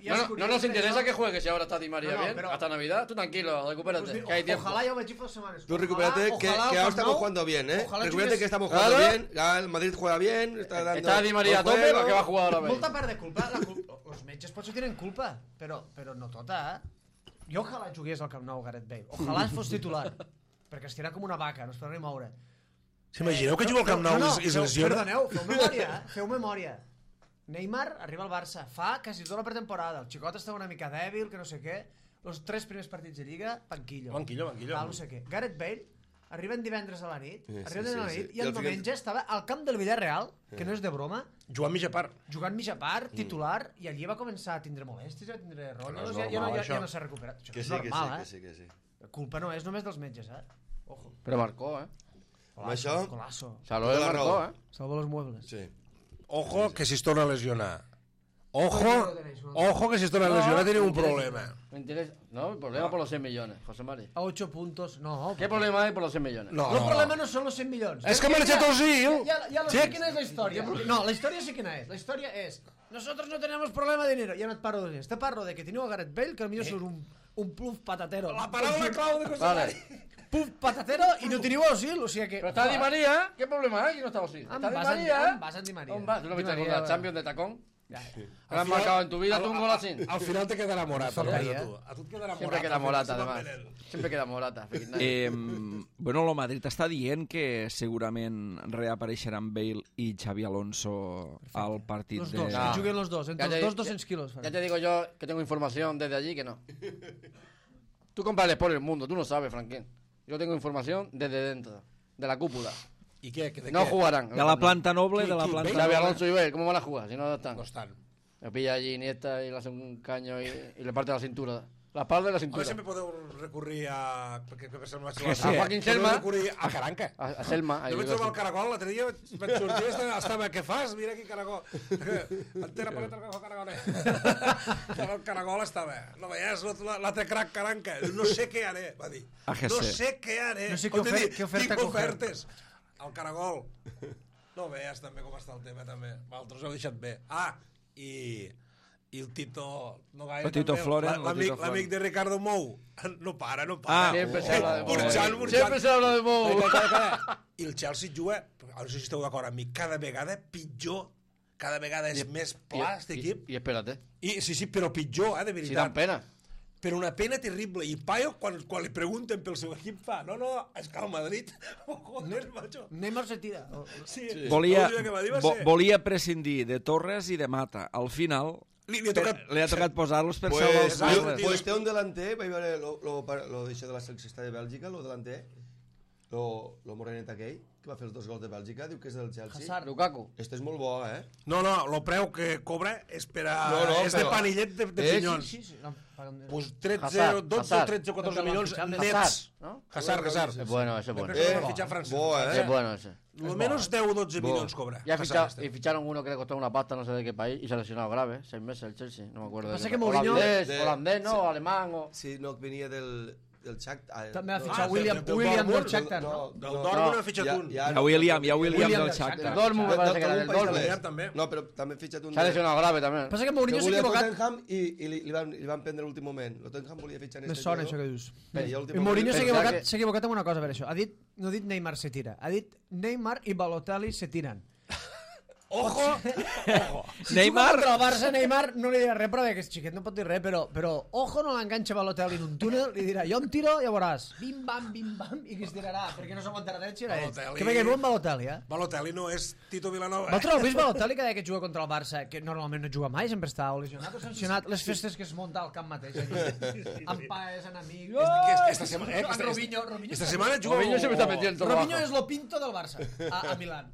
ya no nos interesa que juegue si ahora está Di María bien, hasta Navidad. Tú tranquilo, recupérate, que hay tiempo. Ojalá yo me echo 2 semanas. Tú recupérate, que ahora estamos jugando bien, ¿eh? Recupérate que estamos jugando bien, el Madrid juega bien, está Di María a tope, lo que va a jugar ahora. Molta part de culpa, los metges potser tenen culpa, però no tota, Jo ojalà jugués al Camp Nou Gareth Bale, ojalà fos titular, perquè estirà com una vaca, no es podrà ni moure. S'imagineu que juga al Camp Nou i es lesiona? Perdoneu, feu memòria. Neymar arriba al Barça, fa quasi tota la pretemporada, el xicot està una mica dèbil, que no sé què, els 3 primers partits de Lliga, banquillo. No sé què. Gareth Bale arriben divendres a la nit, i el diumenge estava al camp del Villarreal, que no és de broma, jugant mitja part, titular, i allí va començar a tindre molèsties, a tindre rotllos, ja no s'ha recuperat. Això és normal, eh? La culpa no és només dels metges, eh? Però marcó, eh? Colasso. Salvo el marcó, eh? Salvo los muebles. Sí. Ojo que si es torna a lesionar. Ojo que si es torna a lesionar tiene un problema. No, el problema por los 100 millones, José Mari. A 8 puntos, no. ¿Qué problema hay por los 100 millones? No, el problema no son los 100 millones. Es que ha marchado Ozil. Ya lo sé quién es la historia. No, la historia sí quién es. La historia es, nosotros no tenemos problema de dinero. Ya no te parlo de eso. Te parlo de que tenía a Gareth Bale, que a mí eso es un pluf patatero. La palabra clau de José Mari. Puf patatero i no teniu Ozil, o sigui que... Però està Di María, què problema hi ha? Qui no està Ozil? Està Di María. Vas en Di María. On vas? ¿Tú no viste con la Champions de tacón? ¿Te has marcado en tu vida tú un gol así? Al final te quedará Morata. A tu et quedarà Morata. Siempre queda Morata, además. Siempre queda Morata. Bueno, el Madrid està dient que segurament reapareixeran Bale i Xavi Alonso al partit los dos, que juguen los dos, entre los dos 200 kilos. Ya te digo yo que tengo información desde allí que no. Tú compras por el mundo, tú no sabes, Franquín. Yo tengo información desde dentro, de la cúpula. ¿Y qué? No jugarán. De la planta noble, de la planta noble. Xavi Alonso y Bale, ¿cómo van a jugar si no están? No están. Me pilla allí Iniesta y le hace un caño y le parte la cintura. La espalda y la cintura. A veure, sempre podeu recurrir a... A Joaquín Selma. Recurrir a Caranca. A Selma. Jo vaig trobar el caragol, l'altre dia vaig sortir i estava, què fas? Mira aquí caragol. Entera paleta el caragol. El caragol estava, no veies l'altre crac Caranca. No sé què haré, va dir. No sé què haré. No sé què oferta ofertes. El caragol. No veies també com està el tema, també. Vosaltres ho heu deixat bé. I el Tito, no gaire, el Tito Floren, l'amic de Ricardo Mou, no para. Siempre se habla de Mou. Siempre se habla de Mou. I el Chelsea juga, no sé si esteu d'acord amb mi, cada vegada pitjor, cada vegada és més pla, aquest equip. I espérate. Sí, però pitjor, de veritat. Si dan pena. Però una pena terrible. I Payo, quan li pregunten pel seu equip, fa, no, és que al Madrid, joder, macho. Neymar se tira. Sí. Volia prescindir de Torres i de Mata. Al final... Li ha tocat posar-los per salvar els pobles. Pues té un delanter, vaig veure lo d'això de la selecció de Bèlgica, lo delanter, lo morenet aquell, que va fer els 2 gols de Bèlgica, diu que és del Chelsea. Hazard, Lukaku. Este és molt bo, eh? No, lo preu que cobra és per a... és de panillet de pinyons. Sí. Pues 12, 13 o 14 milions nets. Hazard. Es bueno, ese es bueno. Es bueno ese. Lo menos 10 o 12 millones cobra. Y ficharon uno que le costó una pasta, no sé de qué país, y se ha lesionado grave, 6 meses el Chelsea, no me acuerdo. Pasa que Mourinho... Holandés, ¿no? Alemán o... Sí, no, venía del Shakhtar. També ha fitxat William del Shakhtar, no? Del Dortmund ha fitxat un. Hi ha William del Shakhtar. Del Dortmund me parece que era del Dortmund. No, però també ha fitxat un... S'ha lesionado grave, també. Passa que Mourinho s'ha equivocat. Tottenham i li van prendre l'últim moment. El Tottenham volia fitxar en este jugador. Me sona això que dius. I Mourinho s'ha equivocat en una cosa, per això. No ha dit Neymar se tira, ha dit Neymar i Balotelli se tiren. Ojo! Si juga contra el Barça, Neymar no li dirà res, però aquest xiquet no pot dir res, però ojo, no l'enganxa Balotelli en un túnel, li dirà, jo em tiro, ja veuràs, bim-bam, i qui es tirarà, perquè no s'aguantarà dret, si era ell. Que veia bon Balotelli, Balotelli no és Tito Vilanova. Vosaltres heu vist Balotelli cada que juga contra el Barça, que normalment no juga mai, sempre està o lesionat o sancionat, les festes que es munta al camp mateix, amb paes, en amics... Esta setmana juga... Robinho és lo pinto del Barça, a Milán.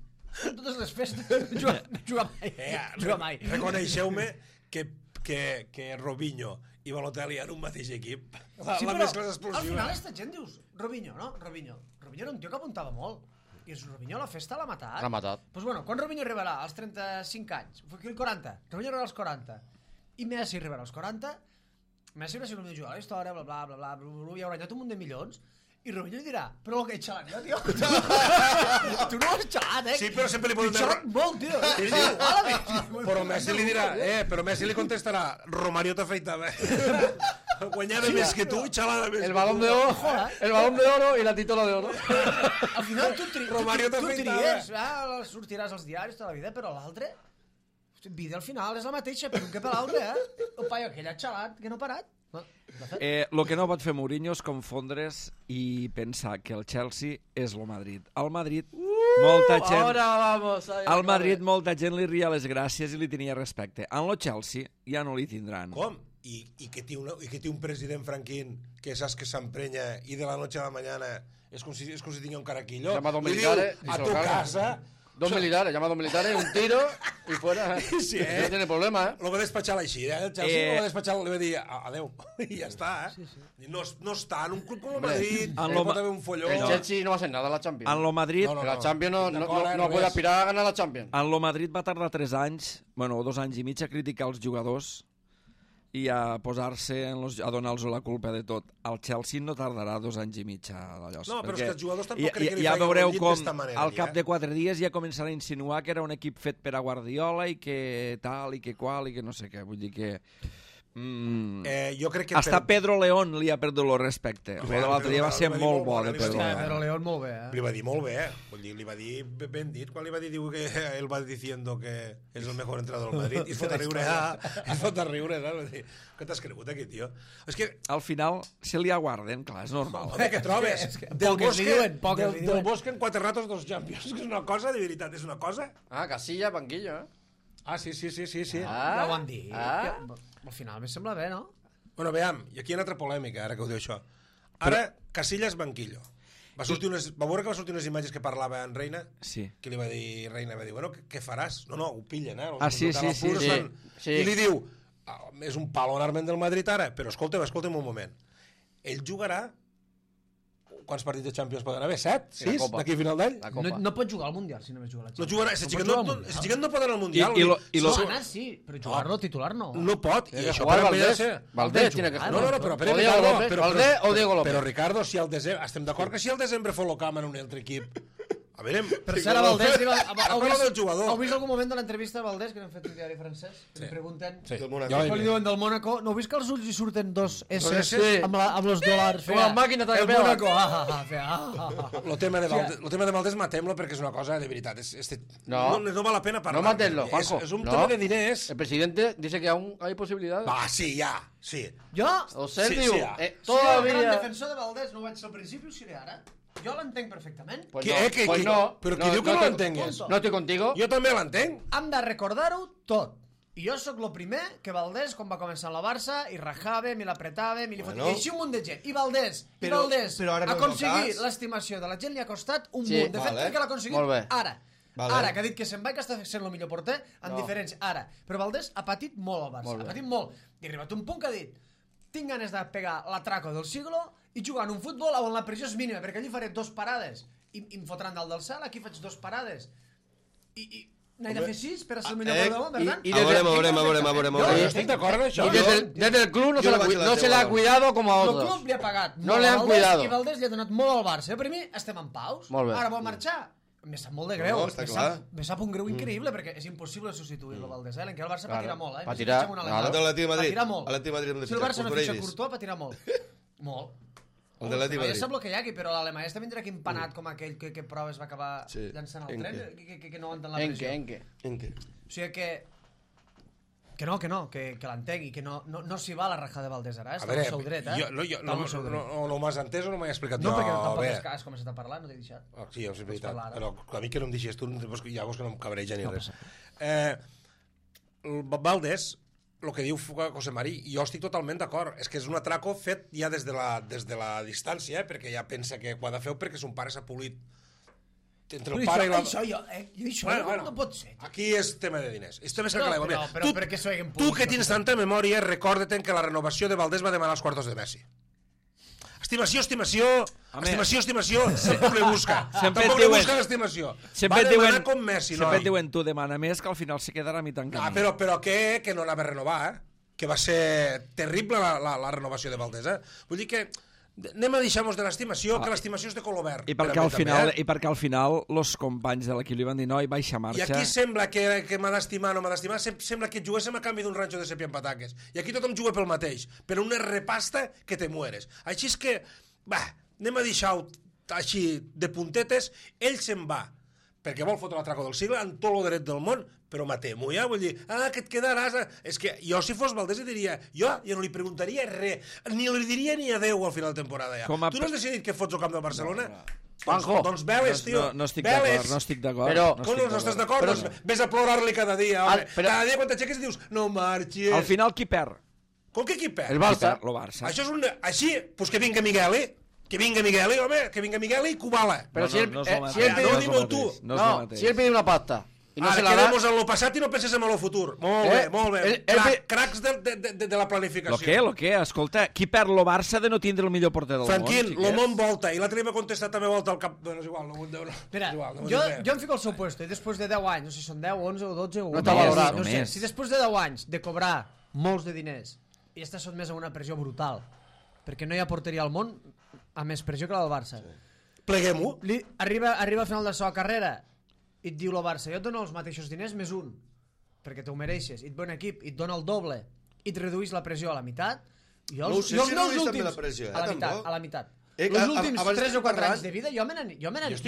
En totes les festes juga mai. Reconeixeu-me que Robinho i Balotelli en un mateix equip. Sí, però al final esta gent dius Robinho, no? Robinho era un tio que apuntava molt. I Robinho la festa l'ha matat. L'ha matat. Doncs bueno, quan Robinho arribarà als 35 anys? Aquí el 40. Robinho arribarà als 40. I Messi arribarà als 40. Messi haurà sigut el millor jugador a la història, bla, bla, bla, bla, i haurà guanyat un munt de milions. I Robinho dirà, però el que he xalat jo, tio. Tu no has xalat, Sí, però sempre li poden... He xalat molt, tio. Però Messi li dirà, però Messi li contestarà, Romario t'afeitava. Guanyava més que tu i xalava més. El balón de oro i la titola de oro. Al final tu tries, sortiràs als diaris tota la vida, però l'altre, vida al final és la mateixa, per un que per l'altre, El paio aquell ha xalat, que no ha parat. Lo que no pot fer Mourinho és confondre's i pensar que el Chelsea és el Madrid. Al Madrid, molta gent li ria les gràcies i li tenia respecte. En el Chelsea ja no li tindran. Com? I que té un president franquín que saps que s'emprenya i de la noche a la mañana és com si tingui un caraquillo. Li diu a tu casa... Dos militares, llama a dos militares, un tiro y fuera. Sí, no tiene problema, Lo va despatxar així, El Chelsea lo va despatxar, li va dir adeu, i ja està, No està en un club com el Madrid, pot haver un folló. El Chelsea no va a hacer nada la Champions. En lo Madrid... La Champions no puede aspirar a ganar la Champions. En lo Madrid va tardar 3 anys, o 2 anys i mig, a criticar els jugadors i a posar-se a donar-los la culpa de tot. El Chelsea no tardarà 2 anys i mig a allò. No, però és que els jugadors tampoc crec que li ja feien veureu un llit com d'esta manera. al cap de 4 dies ja començarà a insinuar que era un equip fet per a Guardiola i que tal i que qual i que no sé què. Vull dir que... jo crec que hasta Pedro León li ha perdut el respecte. L'altre dia va ser molt bo de Pedro León. Pedro León molt bé, Li va dir molt bé, Vull dir, li va dir ben dit, quan li va dir diu que ell va diciendo que és el mejor entrenador del Madrid i es fot a riure, Vull dir, què t'has cregut aquí, tio? És que... Al final se li aguarden, clar, és normal. Què trobes? Del Bosque en 4 ratos 2 Champions, que és una cosa, de veritat, és una cosa. Casilla, banquillo, Sí. Ja ho han dit. Al final me sembla bé, no? Bueno, veiem, i aquí hi ha una altra polèmica, ara que ho diu això. Ara, Casillas banquillo. Va veure que va sortir unes imatges que parlava en Reina? Sí. Que li va dir, Reina va dir, bueno, què faràs? No, ho pillen, Sí. I li diu, és un palo en arment del Madrid ara, però escolta'm un moment. Ell jugarà... Quants partits de Champions poden haver? 7? 6? D'aquí a final d'any? No pot jugar al Mundial si només juga la Champions. No jugarà, si xiquet no pot anar al Mundial. Sí, però jugar-lo titular no. No pot, i això per Valdés tiene que jugar. Valdés o Diego López. Però Ricardo, si al desembre... Estem d'acord que si al desembre Folocam en un altre equip... A veure... Per cert, a Valdés... Heu vist algun moment de l'entrevista a Valdés, que n'hem fet un diari francès, que li pregunten... Sí. Quan li diuen del Mónaco, no heu vist que als ulls hi surten 2 S amb els dòlars? Com la màquina de el Mónaco, El tema de Valdés matem-lo perquè és una cosa de veritat. No val la pena parlar. No matem-lo, Juanjo. És un tema de diners. El presidente dice que aún hay posibilidades. Sí, ja, sí. Jo? O sea, diu, todavía... Si el gran defensor de Valdés no ho vaig ser al principi, ho seré ara. Jo l'entenc perfectament. Pues no. Però qui diu que no l'entengues? No estoy contigo. Jo també l'entenc. Hem de recordar-ho tot. I jo sóc el primer que Valdés, quan va començar la Barça, i rajàvem, i l'apretàvem, i li fotia així un munt de gent. I Valdés aconseguir l'estimació de la gent li ha costat un munt. De fet, crec que l'ha aconseguit ara. Ara, que ha dit que se'n va i que està sent el millor porter, en diferència. Ara. Però Valdés ha patit molt al Barça. Ha patit molt. I ha arribat un punt que ha dit tinc ganes de pegar l'atraco del siglo i jugar en un futbol on la pressió és mínima, perquè allí faré 2 parades i em fotran dalt del cel, aquí faig 2 parades i n'he de fer 6 per a ser el millor del món, per tant? Veurem. Jo estic d'acord amb això. Y desde el club no se le ha cuidado como a otros. El club li ha pagat no le han cuidado. I Valdés li ha donat molt al Barça. Per mi estem en paus. Ara vol marxar. Me sap molt de greu. Me sap un greu increïble, perquè és impossible substituir-lo, Valdés. L'enquer el Barça patirà molt, Patirà molt. Si el Barça no fitxa Courtois, patirà molt. Molt. El de l'Atlètic Ja Madrid. sap el que hi ha aquí, però l'Alemany està vindrà aquí empanat com aquell que proves va acabar llançant el tren, que no aguanten la pressió. En què? O sigui que l'entengui, que no s'hi va a la raja de Valdés ara, està al seu dret, no m'has entès o no m'he explicat jo? No, perquè tampoc has començat a parlar, no t'he deixat. Sí, és veritat, però a mi que no em deixes tu, ja veus que no em cabreja ni res. Valdés, el que diu José Mari, jo estic totalment d'acord, és que és un atraco fet ja des de la distància, perquè ja pensa que ho ha de fer perquè son pare s'ha polit entre el pare i la... Això no pot ser. Aquí és tema de diners. És tema de l'aigua. Però per què s'ho haguem polit? Tu que tens tanta memòria, recorda-te'n que la renovació de Valdés va demanar els quartos de Messi. Estimació, tampoc le busca. Tampoc le busca l'estimació. Va demanar com Messi, no? Sempre et diuen, tu demana més, que al final se quedarà a mi tan camí. Però que no anava a renovar, que va ser terrible la renovació de Valdés, Vull dir que anem a deixar-nos de l'estimació, que l'estimació és de color verd. I perquè al final els companys de l'equip li van dir no, i baixa marxa. I aquí sembla que m'ha d'estimar o no m'ha d'estimar, sembla que juguéssim a canvi d'un ranxo de sepia amb pataques. I aquí tothom juga pel mateix, per una repasta que te mueres. Així és que, anem a deixar-ho així de puntetes, ell se'n va, perquè vol fotre l'atraco del segle amb tot el dret del món, però matem-ho ja, vull dir, que et quedaràs... És que jo, si fos Valdés, diria, jo no li preguntaria res, ni li diria ni adeu al final de temporada ja. Tu no has decidit que fots el camp del Barcelona? Juanjo. Doncs veles, tio. No estic d'acord. Com no estàs d'acord? Doncs vés a plorar-li cada dia, home. Cada dia quan t'aixeques i dius, no marxis. Al final qui perd? Com que qui perd? El Barça. Això és un... Així, doncs que vinga Migueli. Que vinga Migueli, home, que vinga Migueli i Kubala. Però si ell pide una pasta i no se la da... Ara quedemos en lo passat i no penses en lo futur. Molt bé. Cracs de la planificació. Lo que? Escolta, qui perd lo Barça de no tindre el millor porter del món? Franquín, lo món volta, i l'altre m'ha contestat també volta al cap... Bueno, és igual, no. Espera, jo em fico al seu puesto, i després de 10 anys, no sé si són 10, 11 o 12 o... No t'ha valorat. No sé, si després de 10 anys de cobrar molts de diners i estàs sotmès a una pressió brutal, perquè no hi ha porteria al món a més pressió que la del Barça. Pleguem-ho. Arriba al final de la seva carrera i et diu el Barça, jo et dono els mateixos diners més un, perquè t'ho mereixes, i et ve un equip, i et dona el doble, i et reduís la pressió a la meitat, no sé si reduís també la pressió, a la meitat. Els últims 3 o 4 anys de vida jo me n'aniré.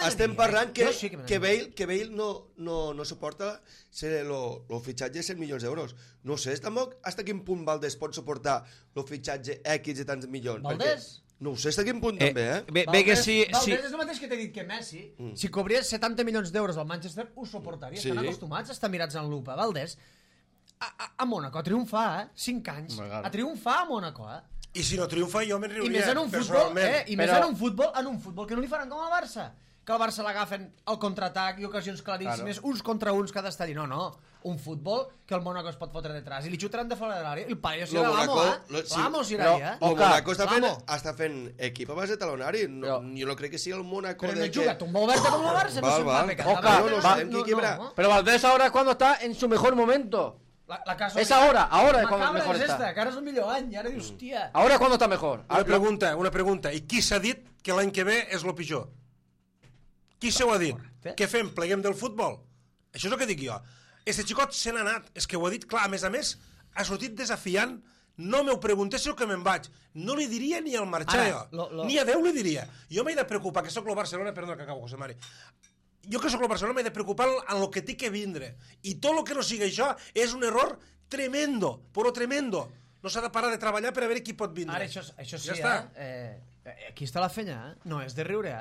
Estem parlant que Bale no suporta el fitxatge de 100 milions d'euros. No sé tampoc fins a quin punt Valdés pot suportar el fitxatge X de tants milions. Valdés? No ho sé fins a quin punt també, Valdés és el mateix que t'he dit que Messi, si cobries 70 milions d'euros al Manchester, ho suportaria. Estan acostumats a estar mirats en lupa. Valdés, a Mónaco, a triomfar, 5 anys, a triomfar a Mónaco, I si no triomfa jo me'n riuria. I més en un futbol que no li faran com al Barça, que al Barça l'agafen al contraatac i ocasions claríssimes, uns contra uns cada estadi. No, un futbol que el Mónaco es pot fotre detrás i li xutaran de fora de l'àrea. El paio serà l'amo serà, el Mónaco està fent equip a base de talonari. Jo no crec que sigui el Mónaco pero no juega tumba oberta como el Barça, no pero Valdés ahora cuando está en su mejor momento. Es ahora es cuando mejor está. Que ara és el millor any, i ara dius, hòstia... Ahora cuando está mejor. Una pregunta. I qui s'ha dit que l'any que ve és lo pitjor? Qui s'ho ha dit? Què fem? Pleguem del futbol? Això és el que dic jo. Este xicot se n'ha anat. És que ho ha dit clar. A més, ha sortit desafiant. No m'ho preguntéssiu que me'n vaig. No li diria ni al marxar jo. Ni a Déu li diria. Jo m'he de preocupar, que soc el Barcelona... Perdona que acabo, José Mari. Jo que soc el Barcelona m'he de preocupar en el que té que vindre. I tot el que no sigui això és un error tremendo, però tremendo. No s'ha de parar de treballar per a veure qui pot vindre. Ara, això sí, aquí està la fenya, no és de riure,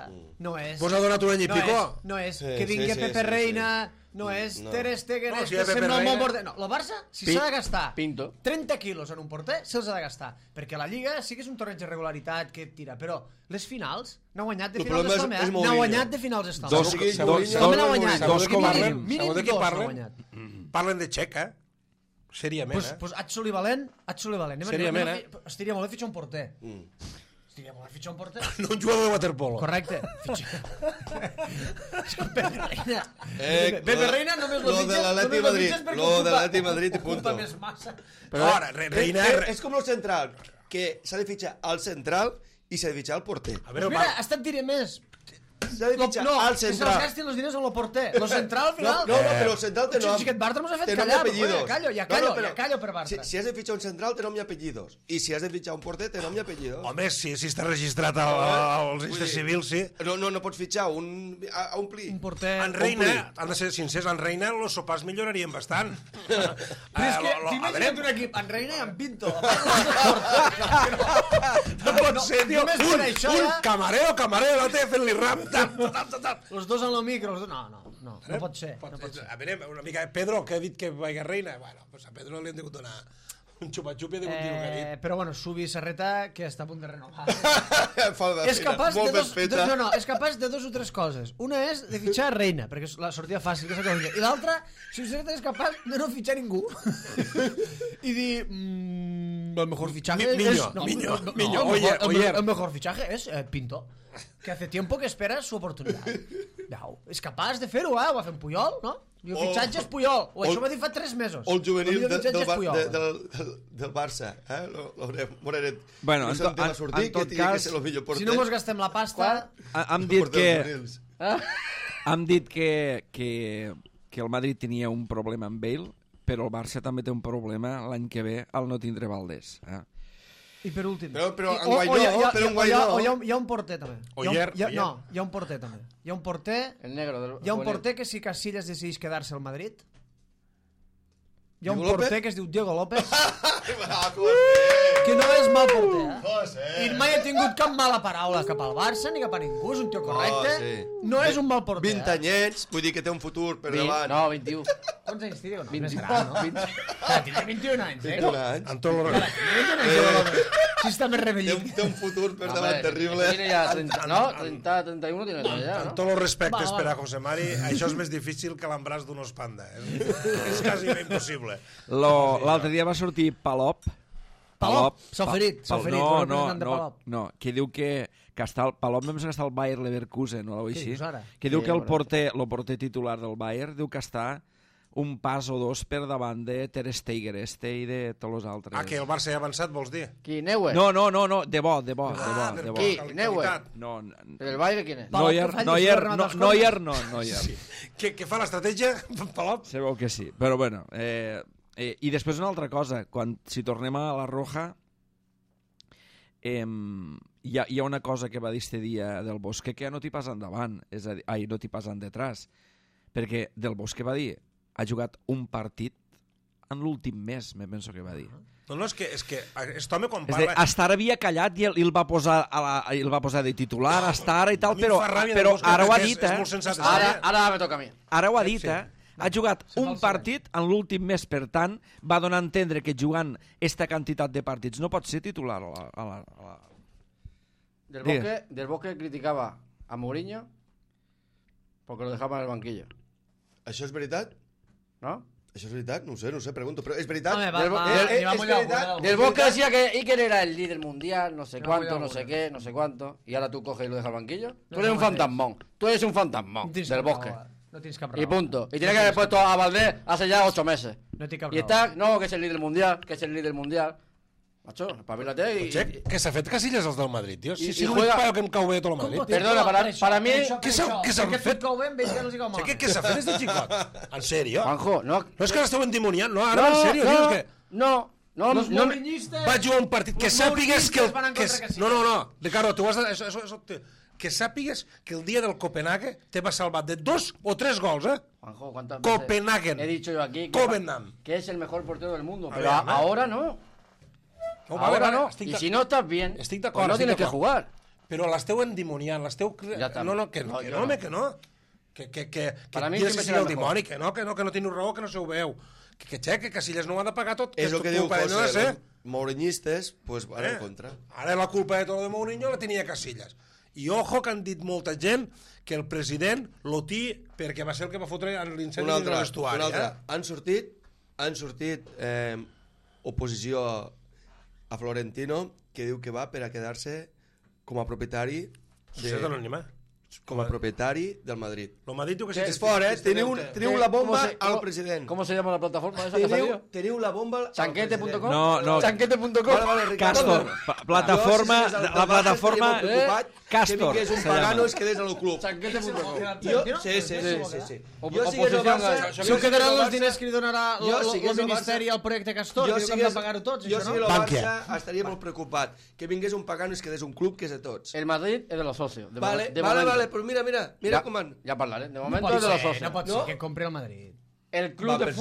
no és... Vos ha donat un any i pico? No és que vingui Pepe Reina, no és Ter Stegen, que sembla molt morder... No, el Barça, si s'ha de gastar 30 quilos en un porter, se'ls ha de gastar. Perquè la Lliga sí que és un torneig de regularitat que tira, però les finals n'ha guanyat de finals estalme, n'ha guanyat de finals estalme. Segons de qui parlen de Txec, seriament, Pues Atsoli Valent. Seriament, estiria molt bé fitxar un porter. Estiria molt bé fitxar un porter. No un jugador de waterpolo. Correcte. Pepe Reina només lo fitxes de l'Atlètic Madrid i punto. Més massa. Ara, Reina... És com el central, que s'ha de fitxar al central i s'ha de fitxar al porter. Mira, ha estat diré més. s'ha de fitxar al No central. es gastin els diners en el porter. Lo central, al final... No, però el central té nom. Si aquest Bartra mos ha fet Té nom i callar. apellidos. Ja callo per Bartra. Si has de fitxar un central, té nom i apellidos. I si has de fitxar un porter, té nom i apellidos. Home, si està registrat al registre civil, sí. No pots fitxar a un pli. Un porter... En Reina, han de ser sincers, en Reina els sopars millorarien bastant. Però és que, t'imagina't un equip, en Reina i en Pinto. No pot ser, tio. Només per això Un ja... camarero, l'altre fent-li rap. Els dos en el micro. No pot ser. A veure, una mica... Pedro, que ha dit que vaya Reina. Bueno, pues a Pedro li hem degut donar un xupa-xup i ha degut dir el que ha dit. Però bueno, Subi Serreta, que està a punt de renovar. És capaç de dos o tres coses. Una és de fitxar Reina, perquè és la sortida fàcil, que és la i l'altra, Subi Serreta és capaç de no fitxar ningú. I dir... el mejor fichaje el mejor fichaje es Pinto, que hace tiempo que espera su oportunidad. És capaç de fer-ho, ho va fer en Puyol, no? I el fitxatge és Puyol, això ho va dir fa 3 mesos. O el juvenil del Barça. Bueno, en tot cas, si no mos gastem la pasta... Hem dit que el Madrid tenia un problema amb Bale, però el Barça també té un problema l'any que ve al no tindre Valdés. I per últim... Però hi ha un porter també. Hi ha un porter també. Hi ha un porter que si Casillas decidís quedar-se al Madrid, hi ha un porter que es diu Diego López, que no és mal porter, i mai ha tingut cap mala paraula cap al Barça ni cap a ningú, és un tio correcte, no és un mal porter. 20 anyets, vull dir que té un futur per davant. No, 21. Quants anys té? 21. Tindrà 21 anys, eh? 21 anys. Amb tot el... Si està més revellit. Té un futur per davant terrible. Tiene ya 30, ¿no? 30, 31 tiene ya, Amb ¿no? tots els respectes per a José Mari, això és més difícil que l'embràs d'un os panda. És quasi impossible. L'altre dia va sortir Palop. S'ha oferit. No, que diu que està Palop només està al Bayer Leverkusen o alguna cosa així. Que diu que el porter titular del Bayer diu que està un pas o dos per davant de Ter Stegen i de tots els altres. Que el Barça ha avançat, vols dir? Qui, Neuer? No, de bo. Qui, Neuer? No. ¿El Bayern quién es? Neuer. Què fa l'estratègia, Palop? Se veu que sí, però bueno... I després una altra cosa, si tornem a la Roja, hi ha una cosa que va dir este dia del Bosque que no t'hi pas endavant, no t'hi pas detrás, perquè del Bosque va dir, ha jugat un partit en l'últim mes, me penso que va dir. No, és que aquest home quan parla... Estar havia callat i el va posar de titular, Estar i tal, però ara ho ha dit, Ara me toca a mi. Ara ho ha dit, ha jugat un partit en l'últim mes, per tant, va donar a entendre que jugant esta quantitat de partits no pot ser titular a la... Del Bosque criticaba a Mourinho porque lo dejaba en el banquillo. Això és veritat? ¿No? Això és veritat? No ho sé, pregunto. Però és veritat? Del Bosque decía que Iker era el líder mundial, no sé cuánto, no sé qué, no sé cuánto, y ahora tú coges y lo dejas al banquillo. Tú eres un fantasmón. Tú eres un fantasmón del Bosque. No tienes cap raó. Y punto. Y tiene que haber puesto a Valdés hace ya 8 meses. No té cap y está, no, que es el líder mundial, Macho, espabilate y... Què s'ha fet Casillas els del Madrid, tio? I Si juega... paio que em cau bé tot el Madrid. Perdona, para mí... Què s'ha fet? Què s'ha fet des de xicot? En sèrio? Juanjo, no... No és que l'esteu endimoniant, no? Ara, en sèrio, tio, és que... No, va jugar un partit que sàpigues que... No, Ricardo, tu has de... Això, que sàpigues que el dia del Copenhague te va salvar de 2 o 3 gols, eh? Juanjo, ¿cuántas Copenhagen. He dicho yo aquí que es el mejor portero del mundo, pero ahora no. Ahora no. Y si no estás bien, pues no tienes que jugar. Però l'esteu endimoniant, l'esteu... No, que no. Que para mí siempre serà el dimoni, que no teniu raó, que no se ho veu. Que Casillas no ho ha de pagar tot. És el que diu José, mourinhistes, pues van en contra. Ara la culpa de tot de Mourinho la tenia Casillas. I ojo que han dit molta gent que el president l'otí perquè va ser el que va fotre l'incendi de l'estuari. Han sortit oposició a Florentino que diu que va per a quedar-se com a propietari Societat Anònima. com a propietari del Madrid. Lo Madrid diu que sí. És fort, teniu la bomba al president. ¿Cómo se llama la plataforma esa que ha salido? Teniu la bomba al Chanquete.com. No. Chanquete.com. Vale, Ricardo. Castor, plataforma, la plataforma Castor. Que vingués un pagano i es quedés al club. Chanquete.com. Sí. Jo sigues el Barça... Això quedaran els diners que li donarà el Ministeri al projecte Castor, que diu que hem de pagar-ho tots, jo això, si no? el Barça estaria molt preocupat que vingués un pagano i es quedés un club que és de tots. El Madrid es de los socios. Vale, però mira com van. Ya hablaré. De momento es de los socios. No pot ser que compri el Madrid. El club de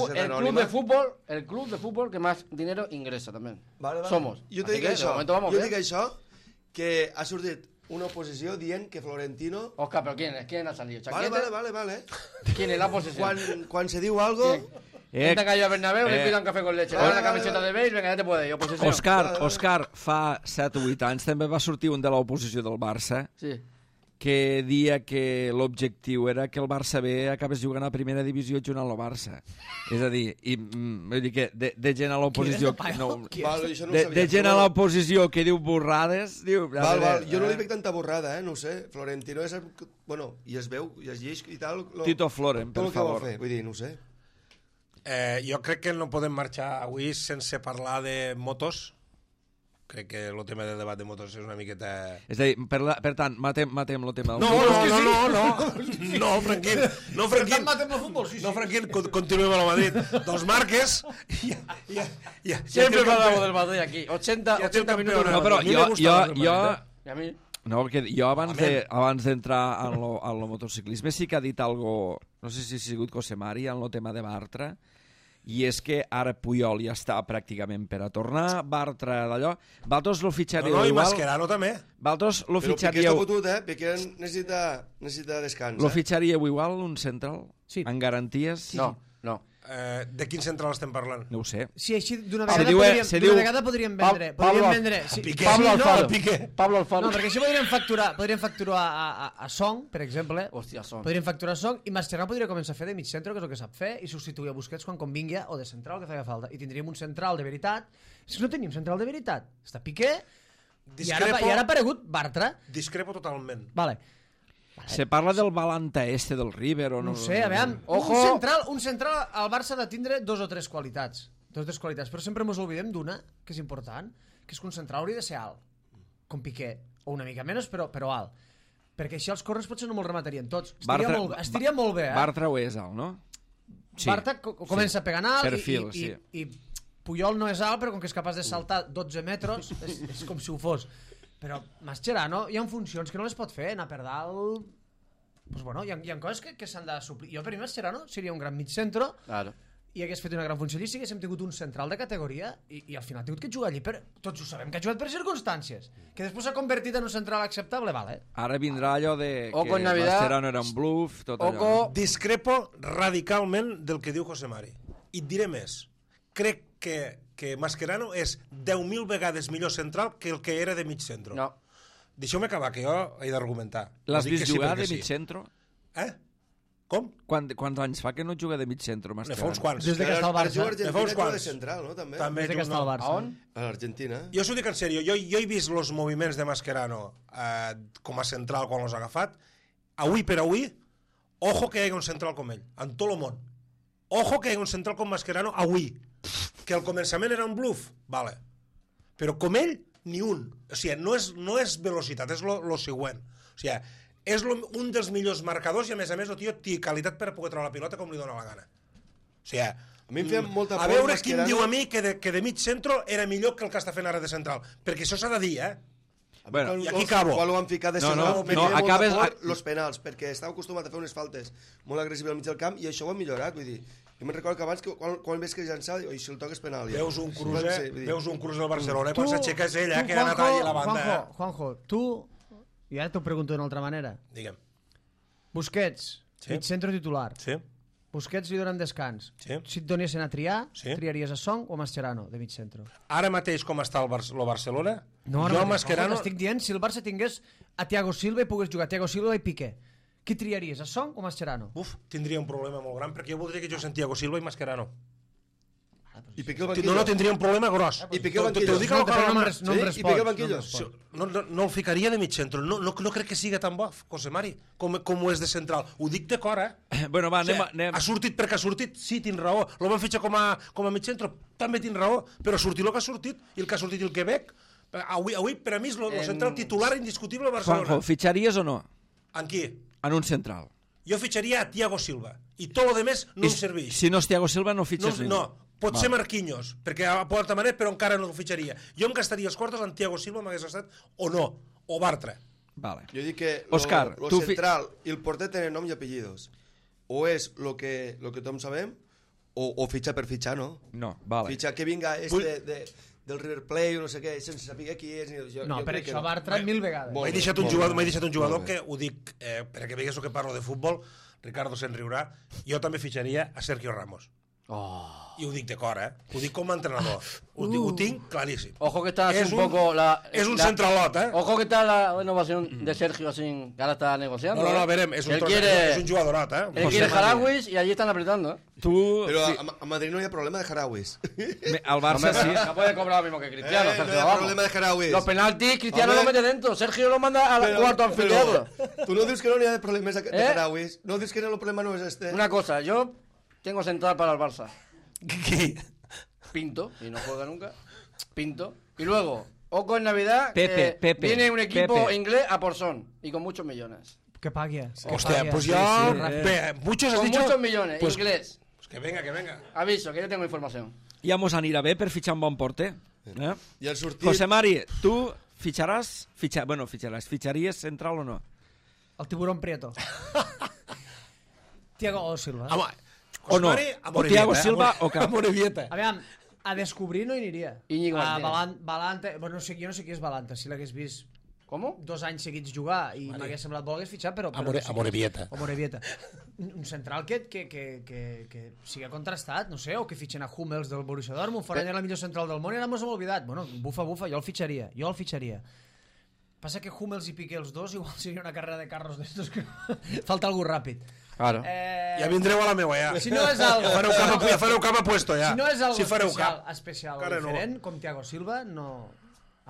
fútbol que más dinero ingresa también. Vale. Somos. Jo t'he dit això, que ha sortit una oposició dient que Florentino... Oscar, ¿pero quién ha salido? Vale. ¿Quién es la oposición? Quan se diu algo... Gente que ha ido a Bernabéu, le pida un café con leche, le da una camiseta de beige, venga, ya te puede ir, oposición. Òscar, fa 7 o 8 anys també va sortir un de l'oposició del Barça Sí. que dia que l'objectiu era que el Barça B acabés jugant a primera divisió junt amb el Barça. És a dir, vull dir que de gent a l'oposició... De gent a l'oposició que diu borrades... Val, jo no li veig tanta borrada, no ho sé. Florentino és... Bueno, i es veu, i es llegeix i tal... Tito Floren, per favor. Tot el que va fer, vull dir, no ho sé. Jo crec que no podem marxar avui sense parlar de motos. Crec que el tema del debat de motos és una miqueta... És a dir, per tant, matem el tema del futbol. No, Franquín. No, Franquín. Matem el futbol, sí. No, Franquín, continuem a la Madrid. Dos marques. Siempre hablamos del Madrid aquí. 80 minutos. No, però jo... ¿Y a mí? No, perquè jo abans d'entrar en el motociclisme sí que ha dit algo, no sé si ha sigut Cosemari, en el tema de Bartra, i és que ara Puyol ja està pràcticament per a tornar, Bartra d'allò, vosaltres lo fitxaríeu igual... No, i Mascherano també. Vosaltres lo fitxaríeu... Però Piqué està fotut, Piqué necessita descans. Lo fitxaríeu igual, un central? Sí. En garanties? No. De quin central estem parlant? No ho sé. Sí, així d'una vegada podríem vendre... Pablo Alfaro. No, perquè així podríem facturar a Song, per exemple. Hòstia, Song. Podríem facturar a Song i Mascherano podria començar a fer de mig centre, que és el que sap fer, i substituir a Busquets quan convingui, o de central, que feia falta. I tindríem un central de veritat. Si no tenim central de veritat, està Piqué, i ara ha aparegut Bartra. Discrepo totalment. Vale. Se parla del Balanta del River o no? No sé, a veure, un central al Barça ha de tindre dos o tres qualitats, però sempre ens oblidem d'una, que és important, que és que un central hauria de ser alt, com Piqué, o una mica menys, però alt, perquè així els corrers potser no me'ls rematarien tots. Estiria molt bé, Bartra ho és alt, no? Sí. Bartra comença pegant alt perfil, i Puyol no és alt, però com que és capaç de saltar 12 metres, és com si ho fos. Però Mascherano hi ha funcions que no les pot fer, anar per dalt... Pues bueno, hi ha coses que s'han de suplir. Jo per mi Mascherano seria un gran mig centre i hagués fet una gran funció allí si haguéssim tingut un central de categoria i al final ha tingut que jugar allí tots ho sabem que ha jugat per circumstàncies, que després s'ha convertit en un central acceptable, vale. Ara vindrà allò de que Mascherano era un bluff, tot allò. Discrepo radicalment del que diu Cosemari. I et diré més. Crec que Mascherano és 10.000 vegades millor central que el que era de mig centre. No. Deixeu-me acabar, que jo he d'argumentar. L'has vist jugar de mig centre? Com? Quants anys fa que no juga de mig centre, Mascherano? Ne fa uns quants. Des que està al Barça. Ne fa uns quants. De central, no? També des que està al Barça. On? A l'Argentina. Jo s'ho dic en sèrio. Jo he vist els moviments de Mascherano com a central quan els ha agafat. Avui per avui, ojo que hi hagi un central com ell, en tot el món. Ojo que hi hagi un central com Mascherano avui. Que al començament era un bluff, vale. Però com ell, ni un. O sigui, no és velocitat, és lo següent. O sigui, és un dels millors marcadors i a més el tio té qualitat per poder treure la pilota com li dóna la gana. O sigui, a mi em feia molta por a veure qui em diu a mi que de mig centre era millor que el que està fent ara de central. Perquè això s'ha de dir, Bueno, i aquí acabo. Quan ho van ficar de central, acabes los penals, perquè estava acostumat a fer unes faltes molt agressives al mig del camp i això ho han millorat, vull dir. Jo me'n recordo que abans, quan ves que llançava, i si el toques penal... Ja. Veus un Cruz del Barcelona, quan s'aixeca és ell, que ha anat allà a la banda. Juanjo, tu, i ara t'ho pregunto d'una altra manera. Digue'm. Busquets, mig centre titular. Sí. Busquets li donen descans. Sí. Si et donessin a triar, triaries a Song o a Mascherano, de mig centre? Ara mateix com està el Barcelona, jo a Mascherano... Estic dient, si el Barça tingués a Thiago Silva i pogués jugar Thiago Silva i Piqué, qui triaries, a Song o Mascherano? Tindria un problema molt gran, perquè jo voldria que jo sent Thiago Silva i Mascherano. I Piqué al banquillo? No tindria un problema gros. I Piqué al banquillo? T'ho dic a però no em I Piqué al banquillo? No el ficaria de mig centre. No crec que siga tan bo, José Mari, com ho és de central. Ho dic de cor, Bueno, va, anem. Ha sortit perquè ha sortit, sí, tinc raó. Lo van fitxar com a mig centre, també tinc raó, però ha sortit el que ha sortit, i el que ha sortit el Quebec. Avui per a mi és el central titular indiscutible a Barcelona. Juanjo, fitxaries o no? En qui? En un central. Jo fitxaria a Thiago Silva, i tot el demés no em serveix. Si no és Thiago Silva, no fitxes ningú. No, pot ser Marquinhos, perquè a Porta Manet, però encara no el fitxaria. Jo em gastaria els quartos en Thiago Silva, m'hagués gastat, o no, o Bartra. Vale. Jo dic que Òscar, lo central i el porter tenen nom i apellidos. O és lo que tothom sabem, o fitxa per fitxar, no? No, vale. Fitxa que vinga del River Plate o no sé què, sense saber qui és. No, per això Bartra 1000 vegades. M'he deixat un jugador que ho dic, perquè veigues que parlo de futbol, Ricardo se'n riurà, jo també fitxaria a Sergio Ramos. I ho dic de cor, Ho dic com a entrenador. Ho tinc claríssim. Ojo que está así un poco és un centralot, Ojo que está la renovación de Sergio así, que ahora está negociando. No, verem, és un jugadorot, Él quiere Jarauis y allí están apretando, Pero a Madrid no hay problema de Jarauis. Al Barça sí. No puede cobrar lo mismo que Cristiano. No hay problema de Jarauis. Los penaltis, Cristiano lo mete dentro. Sergio lo manda al cuarto anfiteatro. Tú no dices que no hay problemas de Jarauis. No dices que el problema no es este. Una cosa, yo tengo central para el Barça. ¿Qué? Pinto, y no juega nunca. Pinto. Y luego, ojo en Navidad, Pepe. viene un equipo inglés a por son y con muchos millones. Que pague. Hostia, pues yo... Muchos has Con dicho... muchos millones, pues, inglés. Pues que venga. Aviso, que yo tengo información. Ja mos anirà bé per fitxar un bon porter. I el sortit... José Mari, tu fitxaries central o no? El tiburón Prieto. Thiago Silva. O no? O Thiago Silva o cap? Aviam, a descobrir no hi aniria. Íñigo Martínez. Balanta, bueno, jo no sé qui és Balanta, si l'hagués vist ¿Cómo? 2 anys seguits jugar i m'hagués semblat bo, l'hagués fitxat, però... Amorebieta. Un central que siga contrastat, no sé, o que fitxen a Hummels del Borussia Dortmund, fora la millor central del món i ara mos hem oblidat. Bueno, bufa, jo el fitxaria. Passa que Hummels i Piqué els dos igual seria una carrera de carros d'estos que falta algú ràpid. Claro. Ja vindreu a la meua, ja. Si no és algo... Ja fareu cap a puesto, ja. Si no és algo especial o diferent, com Thiago Silva, no...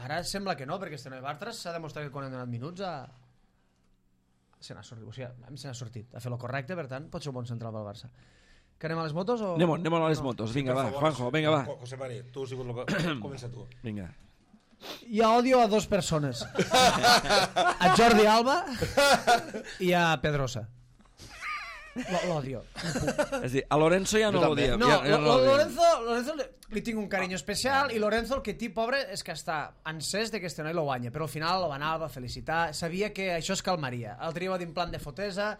Ara sembla que no, perquè este noi Bartres s'ha demostrat que quan han donat minuts se n'ha sortit, o sigui, a mi se n'ha sortit, a fer lo correcte, per tant, pot ser un bon central pel Barça. Que anem a les motos o...? Anem a les motos, vinga, va, Juanjo, vinga, va. José Mari, tu has sigut el que... Comença tu. Vinga. Hi ha odio a 2 persones. A Jordi Alba i a Pedrosa. L'odio. És a dir, a Lorenzo ja no l'odia. No, Lorenzo li tinc un carinyo especial i Lorenzo el que té, pobre, és que està encès de que este noi lo guanya, però al final lo va anar, va felicitar, sabia que això es calmaria. L'altre dia va dir en plan de fotesa,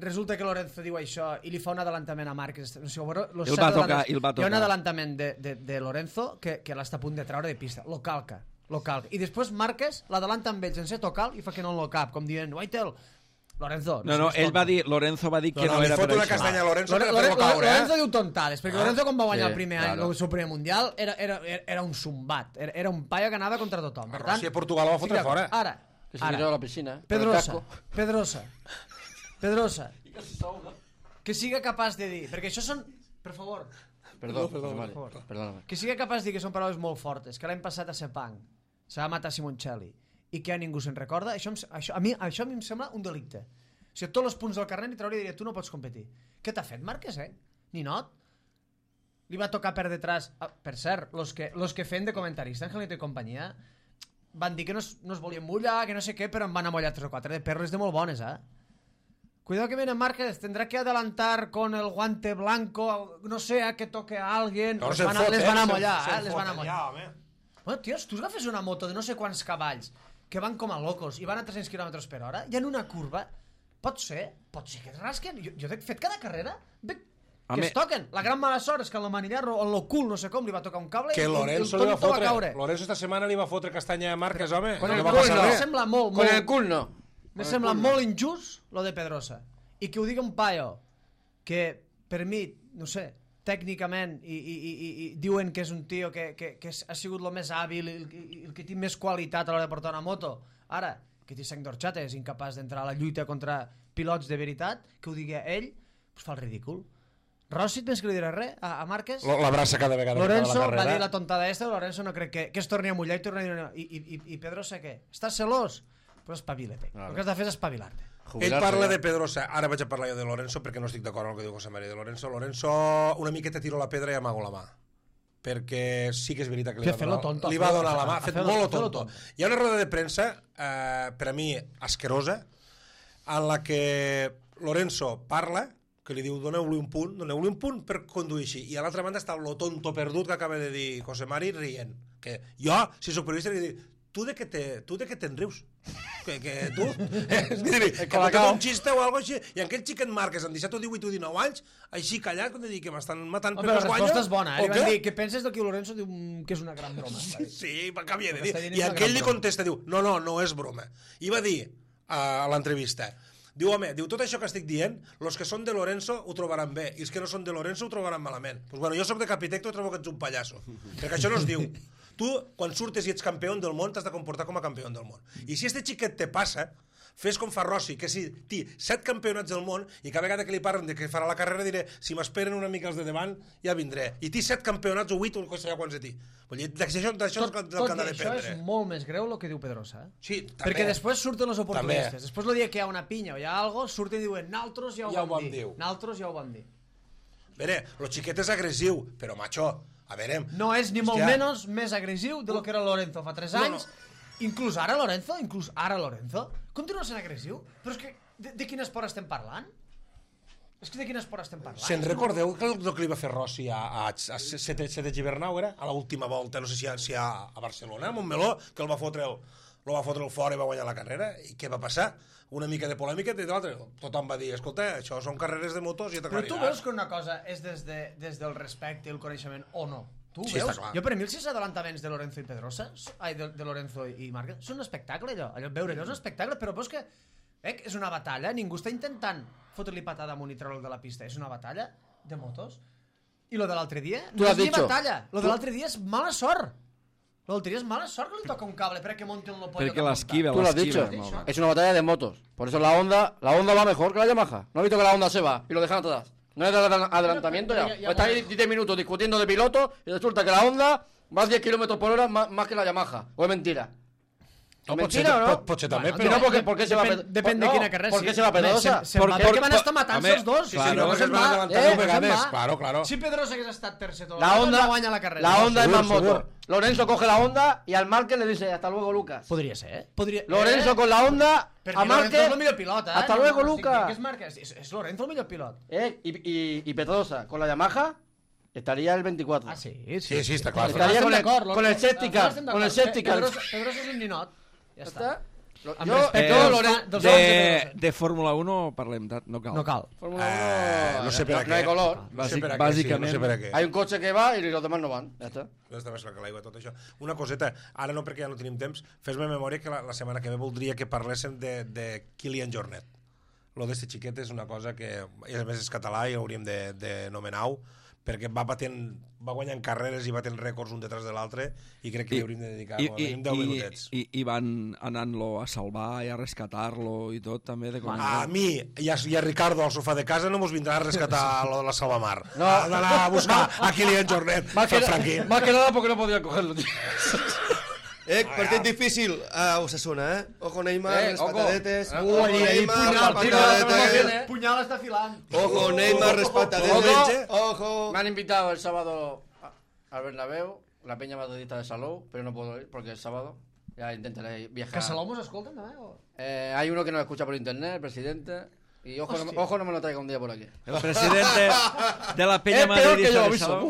resulta que Lorenzo diu això i li fa un adelantament a Márquez. O sigui, el va tocar. Hi ha un adelantament de Lorenzo que l'està a punt de treure de pista. Lo calca. I després Márquez l'adelanta amb ell sense tocar i fa que no lo cap, com dient, Waitel, Lorenzo... Lorenzo va dir que no era per això. Li fot una castanya a Lorenzo per fer-lo caure. Lorenzo diu tontades, perquè Lorenzo quan va guanyar el primer any, el seu primer mundial, era un zumbat, era un paio que anava contra tothom. Per tant, si a Portugal ho va fotre fora. Ara, Que se tiró a la piscina. Pedrosa, que siga capaç de dir, perquè això són, per favor, Perdóname. que siga capaç de dir que són paraules molt fortes, que l'any passat a Sepang se va matar Simoncelli i que a ningú se'n recorda, a mi em sembla un delicte. O sigui, tots els punts del carnet i trauria i diria, tu no pots competir. Què t'ha fet Márquez, Ninot? Li va tocar per detrás. Per cert, los que feien de comentarista, Angelito i companyia, van dir que no es volien mullar, que no sé què, però en van amollar 3 o 4 de perles de molt bones, Cuidado que viene Márquez, tendrá que adelantar con el guante blanco, no sé, a que toque a alguien. No, les van amollar, les van amollar. Bueno, tios, tu agafes una moto de no sé quants cavalls que van com a locos i van a 300 km per hora i en una curva, pot ser que es rasquen. Jo he fet cada carrera, que es toquen. La gran mala sort és que en el manillar o en lo cul, no sé com, li va tocar un cable que i Lorenzo el tonto va caure. Lorenzo esta setmana li va fotre castanya a Márquez, home. Con el va cul passar no. res. Sembla molt, Con el cul no. me sembla molt injust lo de Pedrosa i que ho digui un paio que per mi, no sé, tècnicament i diuen que és un tio que ha sigut el més hàbil i el que té més qualitat a l'hora de portar una moto, ara que té 5 d'orxata és incapaç d'entrar a la lluita contra pilots de veritat, que ho digui ell, pues fa el ridícul. Rossi, tens que li diré res a Márquez? L'abraça cada vegada Lorenzo que acaba la va carrera. dir la tontada esta, Lorenzo no crec que es torni a mullar i torni a dir... I Pedrosa què? Estàs celós? Però espavila't. El que has de fer és espavilar-te. Ell parla de Pedrosa, ara vaig a parlar jo de Lorenzo perquè no estic d'acord amb el que diu José María de Lorenzo. Lorenzo una miqueta tiro la pedra i amago la mà, perquè sí que és veritat que li va donar la mà, ha fet molt tonto. Hi ha una roda de premsa, per a mi asquerosa, en la que Lorenzo parla, que li diu doneu-li un punt per conduir així, i a l'altra banda està lo tonto perdut que acaba de dir José Mari rient, que jo, si soc periodista, li dic, tu de què te'n rius? Que tu? És dir, que m'ha un xiste o alguna cosa així, i aquell xiquet Márquez amb 17 o 18 o 19 anys, així callat, quan dic que m'estan matant per la les guanyes. resposta és bona, li van dir, què penses del que Lorenzo diu que és una gran broma? Sí, que havia de dir. I aquell li contesta, diu, no és broma. I va dir a l'entrevista, diu, home, tot això que estic dient, els que són de Lorenzo ho trobaran bé, i els que no són de Lorenzo ho trobaran malament. Doncs bueno, jo soc de Capitecto i trobo que ets un pallasso, perquè això no es diu. Tu, quan surtes i ets campió del món, t'has de comportar com a campió del món. I si este xiquet te passa, fes com fa Rossi, que si té 7 campionats del món, i cada vegada que li parlen de que farà la carrera diré, si m'esperen una mica els de davant, ja vindré. I té 7 campionats o 8 o no sé ja quants de ti. Vull dir, d'això és el que han de prendre. Això és molt més greu el que diu Pedrosa. Sí, també. Perquè després surten els oportunistes. Després el dia que hi ha una pinya o hi ha alguna cosa, surten i diuen, naltros ja ho vam dir. Naltros ja ho vam dir. A veure, el xiquet és agressiu, però, macho, a veure... No és ni molt menys més agressiu de lo que era Lorenzo fa 3 anys. Inclús ara Lorenzo, continua sent agressiu. Però és que, de quin esport estem parlant? És que de quin esport estem parlant? Se'n recordeu el que li va fer Rossi a Sete Gibernau, era? A l'última volta, no sé si a Barcelona, a Montmeló, que el va fotre el fora i va guanyar la carrera. I què va passar? Una mica de polèmica i l'altre. Tothom va dir, escolta, això són carreres de motos i ja t'aclariràs. Però tu veus que una cosa és des del respecte i el coneixement o no? Tu veus? Jo per mi els 6 adelantaments de Lorenzo i Pedrosa, de Lorenzo i Márquez, són un espectacle allò. Veure allò és un espectacle, però veus que és una batalla, ningú està intentant fotre-li patada amunt i treure'l de la pista, és una batalla de motos. I lo de l'altre dia no és ni batalla, lo de l'altre dia és mala sort. L'altre dia és mala sort que li toca un cable perquè monte un pollo. Porque l'esquiva. Tú lo has dicho, es una batalla de motos. Por eso la Honda va mejor que la Yamaha. ¿No has visto que la Honda se va y lo dejan atrás? No es de adelantamiento ya. Está ahí 10 minutos discutiendo de piloto y resulta que la Honda va a 10 km por hora más que la Yamaha. ¿O es mentira? No, mentira o no? Potser també, però... No, ¿por qué se va Pedrosa? Depèn de quina carrera. ¿Por qué se va Pedrosa? Perquè van estar matant-se els dos. Claro. Si Pedrosa hagués estat tercer tot la Honda guanya la carrera. La Honda es más moto. Lorenzo coge la Honda y al Márquez le dice hasta luego, Lucas. Podria ser, Lorenzo con la Honda a Márquez. És el millor pilot, Hasta luego, Lucas. És Lorenzo el millor pilot. Y Pedrosa con la Yamaha estaría el 24. Ah, sí, està clar. Estaría con el safety car. Pedrosa és un ninot. Ja està. De Fórmula 1 parlem, no cal. No cal. Fórmula 1 no sé per a no hay color. Bàsicament. Hay un coche que va y los demás no van. Ja està. Està més clar que l'aigua, tot això. Una coseta, ara no perquè ja no tenim temps, fes-me memòria que la setmana que ve voldria que parléssim de Kilian Jornet. Lo d'este xiquet és una cosa que, a més és català i hauríem de nomenar-ho, perquè va guanyant carreres i batent rècords un detrás de l'altre i crec que li hauríem de dedicar 10 minutets. I van anant-lo a salvar i a rescatar-lo i tot, també. A mi i a Ricardo al sofà de casa no mos vindrà a rescatar la Salvamar. No. Ha d'anar a buscar a Kilian Jornet. Más que nada porque no podía cogerlo, tío. Partit difícil a Osasuna, Ojo Neymar, les patadetes. Punyal està filant. Ojo Neymar, les patadetes. Ojo. Me han invitado el sábado al Bernabéu, la peña madridista de Salou, pero no puedo ir porque es sábado. Ya intentaré viajar. ¿Que Salou nos escolten també? Hay uno que nos escucha por internet, el presidente. Y ojo no me lo traiga un día por aquí. El presidente de la Peña Madridista de Salou.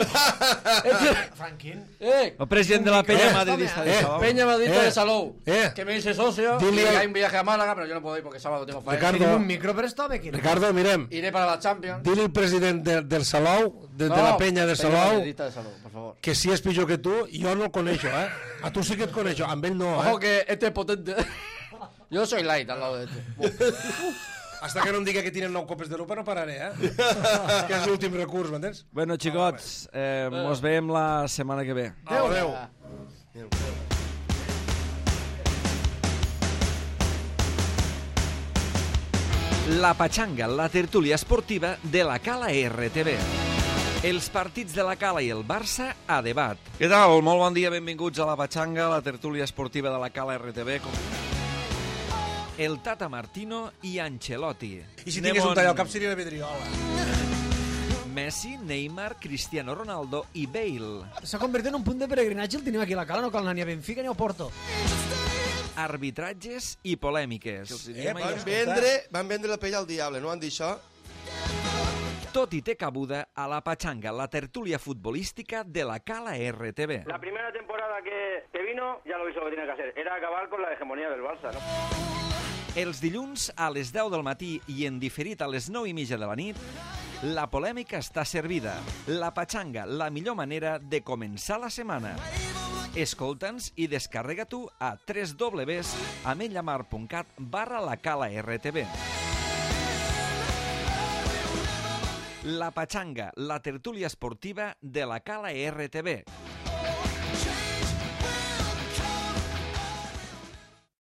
Franquín. El presidente de la Peña Madridista de Salou. Peña Madridista de Salou. Que me dice socio. Y hay un viaje a Málaga, pero yo no puedo ir porque sábado tengo faena. Tenim un micro per esto, aquí. Ricardo, mirem. Iré para la Champions. Dile al presidente del Salou, de la Peña de Salou, por favor. que si és pitjor que tu, jo no el coneixo, A tu sí que et coneixo, amb ell no, Ojo que este es potente. Yo soy light al lado de este. Hasta que no em diga que tienen 9 copes d'Europa no pararé, que és l'últim recurs, m'entens? Bueno, xicots, mos veiem la setmana que ve. Adéu. La Pachanga, la tertúlia esportiva de la Cala RTV. Els partits de la Cala i el Barça a debat. Què tal? Molt bon dia, benvinguts a la Pachanga, la tertúlia esportiva de la Cala RTV. El Tata Martino i Ancelotti. I si tingués un tall al cap seria la Vidriola. Messi, Neymar, Cristiano Ronaldo i Bale. S'ha convertit en un punt de peregrinatge, el tenim aquí a la Cala, no cal anar ni a Benfica ni a Porto. Arbitratges i polèmiques. Van vendre la pell al diable, no van dir això? Tot hi té cabuda a la Pachanga, la tertúlia futbolística de la Cala RTV. La primera temporada que vino, ya lo hizo lo que tenía que hacer. Era acabar con la hegemonía del Barça, ¿no? Els dilluns a les 10 del matí i en diferit a les 9:30 de la nit, la polèmica està servida. La Pachanga, la millor manera de començar la setmana. Escolta'ns i descarrega-t'ho a www.ametlamar.cat/lacala-rtv. La Pachanga, la tertúlia esportiva de la Cala RTV.